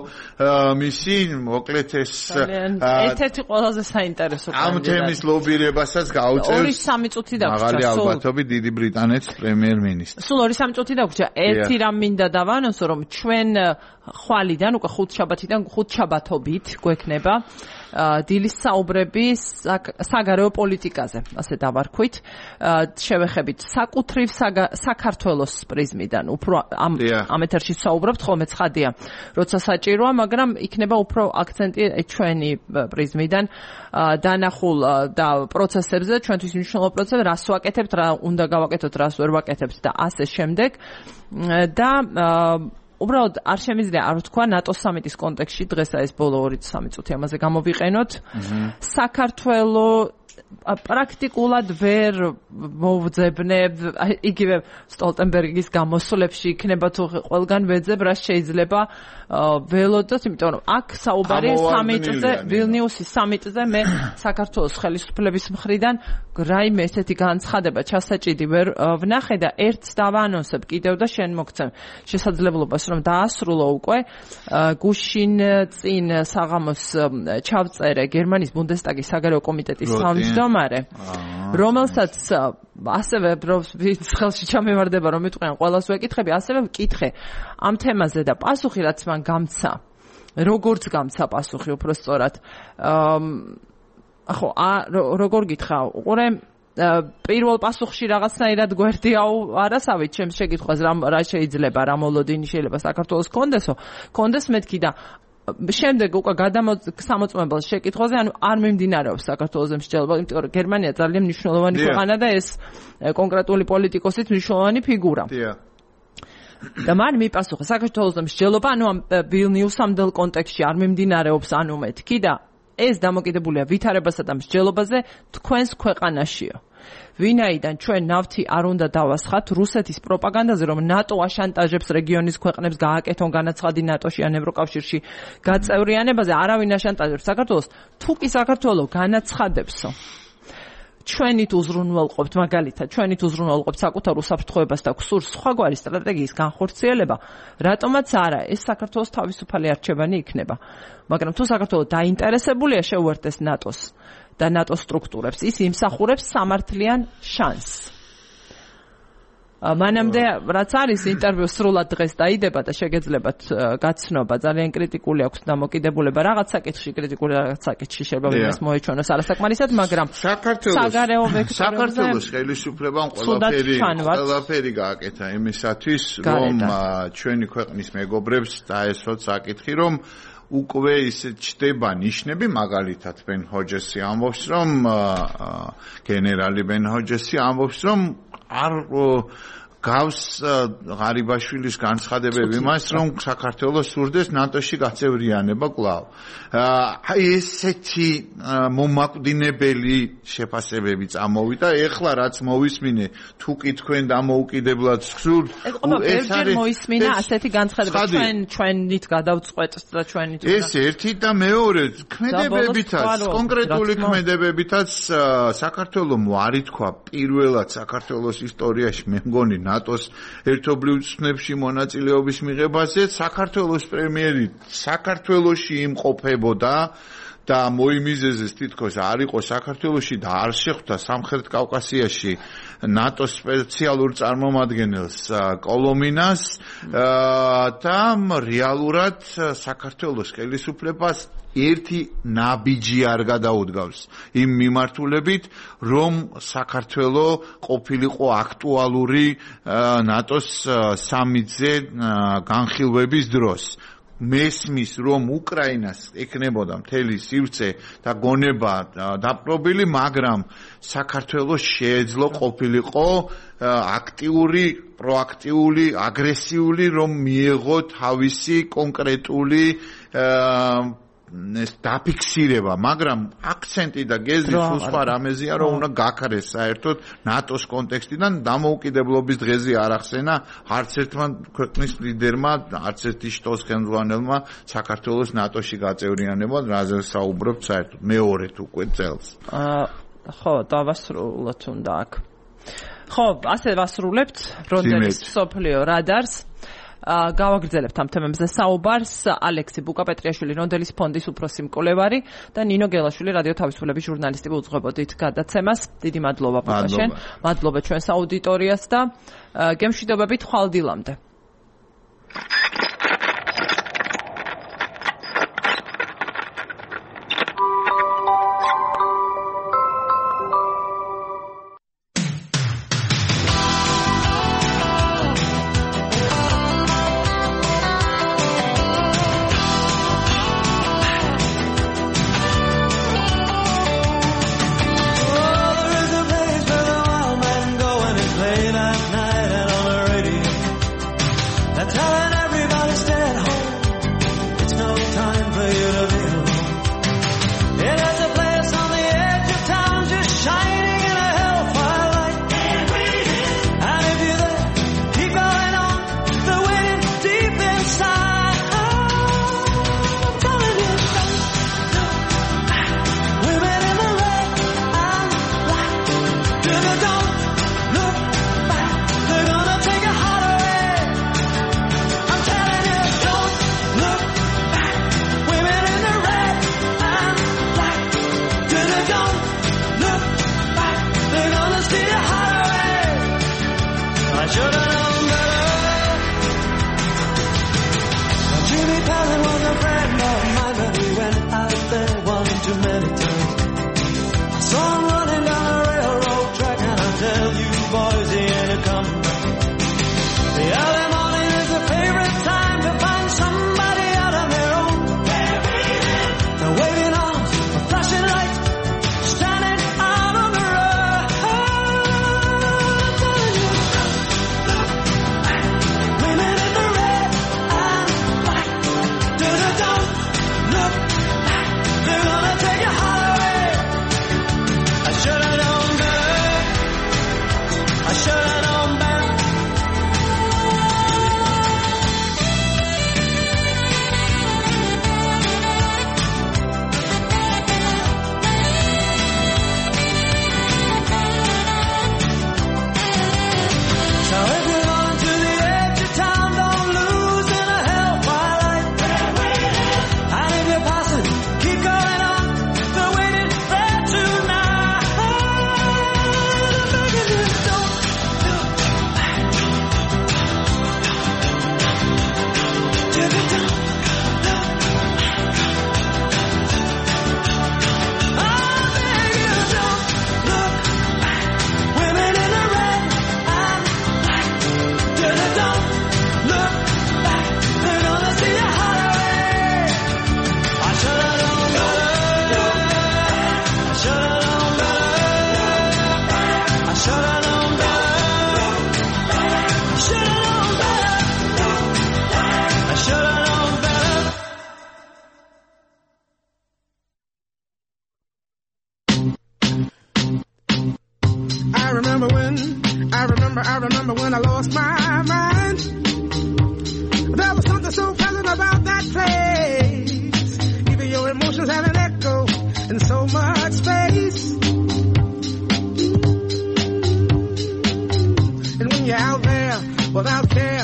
S2: მისი, მოკლედ ეს
S1: ერთ-ერთი ყველაზე საინტერესო
S2: კანდიდატი. ამ თემის ლობირებასაც გაუწევს
S1: სამი წუთი დაგვრჩა.
S2: მაღალი ალბათობით დიდი ბრიტანეთის პრემიერ-მინისტრი.
S1: სულ 2-3 წუთი დაგვრჩა. ერთი რამ მინდა დავანონსო, რომ ჩვენ ხვალიდან უკვე 5 შაბათიდან 5 შაბათობით გვექნება დილის საუბრები საგარეო პოლიტიკაზე, ასე დავარქვით. შევეხებით საკუთრივ საქართველოს პრიზმიდან. უფრო ამ ეთერში საუბრობთ, ხოლმე ცხადია, როცა საჭიროა, მაგრამ იქნება უფრო აქცენტი ჩვენი პრიზმიდან დანახულ და პროცესებზე, ჩვენთვის მნიშვნელოვან პროცესებზე, რას ვაკეთებთ, რა უნდა გავაკეთოთ, რას ვერ ვაკეთებთ და ასე შემდეგ. და უბრალოდ არ შემიძლია არ ვთქვა ნატოს სამიტის კონტექსტში, დღესა ეს ბოლო 2-3 წუთი ამაზე გამოვიყენოთ. საქართველოს პრაქტიკულად ვერ მოვძებნებ, იგივე სტოლტენბერგის გამოსვლებში იქნება თუ ყველგან ვეძებ, რაც შეიძლება ველოდოთ, იმიტომ რომ აქ საუბარი სამიტზე, ვილნიუსის სამიტზე, მე საქართველოს ხელისუფლების მხრიდან რაიმე ესეთი განცხადება ჩასაჭიდი ვერ ვნახე და ერთს დავაანონსებ კიდევ და შენ მოგცემ შესაძლებლობას, რომ დაასრულო უკვე გუშინ წინ საღამოს ჩავწერე გერმანიის ბუნდესტაგის საგარეო კომიტეტის თავმჯდომარე, რომელსაც ასევე ვინც ხელში ჩამევარდება, რომ მეთქვენ ყველას ვეკითხები, ასევე ვკითხე ამ თემაზე და პასუხი რაც მან გამცა, როგორც გამცა პასუხი უფრო სწორად. ხო, როგორ გითხრა, უყურე პირველ პასუხში რაღაცნაირად გვერდიაო არასავით ჩემს შეკითხვას, რა შეიძლება, რა მოლოდინი შეიძლება საქართველოს კონდეს მეთქი და შემდეგ უკვე სამოწმებელ შეკითხვაზე, ანუ არ მიმდინარეობს საქართველოს მსჯელობა, იმიტომ რომ გერმანია ძალიან მნიშვნელოვანი ქვეყანა და ეს კონკრეტული პოლიტიკოსით მნიშვნელოვანი ფიგურა. და მან მიპასუხა საქართველოს მსჯელობა, ანუ ამ ვილნიუსამდელ კონტექსტში არ მიმდინარეობს, ანუ მეთქი და ეს დამოკიდებულია ვითარებასა და მსჯელობაზე თქვენს ქვეყანაშიო. ვინაიდან ჩვენ ნავთი არ უნდა დავასხათ რუსეთის პროპაგანდაზე, რომ ნატო აშანტაჟებს რეგიონის ქვეყნებს გააკეთონ განაცხადი ნატოში ან ევროკავშირში გაწევრიანებაზე, არავინ აშანტაჟებს საქართველოს, თუ კი საქართველოს განაცხადებსო. ჩვენით უზრუნველყოფთ მაგალითად, ჩვენით უზრუნველყოფთ საკუთარ უსაფრთხოებას და გსურს სხვაგვარი სტრატეგიის განხორციელება, რატომაც არა, ეს საქართველოს თავისუფალი არჩევანი იქნება. მაგრამ თუ საქართველოს დაინტერესებულია შეუერთდეს ნატოს და ნატოს სტრუქტურებს, ის იმსახურებს სამართლიან შანსს. მანამდე რაც არის ინტერვიუ სრულად დღეს დაიდება და შეგეძლებათ გაცნობა, ძალიან კრიტიკული აქვს დამოკიდებულება, რაღაც საკითხში კრიტიკული, რაღაც საკითხში შეიძლება იმას მოეჩვენოს არასაკმარისად, მაგრამ
S2: საქართველოს ხელისუფლებამ ყველაფერი გააკეთა იმისათვის, რომ ჩვენი ქვეყნის მეგობრებს დაესვათ საკითხი, რომ უკვე ისე ჩდება ნიშნები, მაგალითად ბენ ჰოჯესი ამბობს, რომ გენერალი ბენ ჰოჯესი ამბობს, რომ არ გავს ღარიბაშვილის განცხადებები მას, რომ საქართველოს სურდეს ნატოში გაწევრიანება კვლავ. აი ესეთი მომაკვდინებელი შეფასებები წამოვიდა, ეხლა რაც მოვისმინე, თუ კი თქვენ დამოუკიდებლად გსურთ,
S1: ეს არის მოისმინა ასეთი განცხადება, ჩვენით გადავწყვეტთ და ჩვენით
S2: ეს ერთი და მეორე ქმედებებითაც, კონკრეტული ქმედებებითაც საქართველოს არ ითქვა პირველად საქართველოს ისტორიაში, მე მგონი ნატოს ერთობლივ ცნებში მონაწილეობის მიღებაზე საქართველოს პრემიერი საქართველოში იმყოფებოდა და მოიმიზეზეს თითქოს არ იყო საქართველოში და არ შეხვდა სამხრეთ კავკასიაში ნატოს სპეციალურ წარმომადგენელს კოლომინას და რეალურად საქართველოს ხელისუფლებას ერთი ნაბიჯი არ გადაუდგავს იმ მიმართულებით, რომ საქართველოს ყოფილიყო აქტუალური ნატოს სამიტზე განხილვების დროს. მესმის, რომ უკრაინას ეკნებოდა მთელი სივრცე და გონება დაპყრობილი, მაგრამ საქართველოს შეეძლო ყოფილიყო აქტიური, პროაქტიული, აგრესიული, რომ მიეღო თავისი კონკრეტული დაფიქსირება, მაგრამ აქცენტი და გეზი სულ სხვა რამეზია, რომ უნდა გაქარეს საერთოდ ნატოს კონტექსტიდან დამოუკიდებლობის დღეზე არ ახსენა არც ერთმა ქვეყნის ლიდერმა, არც ერთი შტოს ხელმძღვანელმა საქართველოს ნატოში გაწევრიანება, რაზე საუბრობთ საერთოდ მეორედ უკვე წელს.
S1: ხო, დავასრულოთ უნდა აქ. ხო, ასე ვასრულებთ რონდელის სოფლიო რადარს. გავაგრძელებთ ამ თემებზე საუბარს ალექსი ბუკაპეტრიაშვილი რონდელის ფონდის უფროსი მკვლევარი და ნინო გელაშვილი რადიო თავისუფლების ჟურნალისტი უძღვებოდით გადაცემას. დიდი მადლობა პაპაშენ. მადლობა ჩვენს აუდიტორიას და გემშვიდობებით ხვალ დილამდე.
S6: remember when I lost my mind. There was something so pleasant about that place. Even your emotions have an echo in so much space. And when you're out there without care,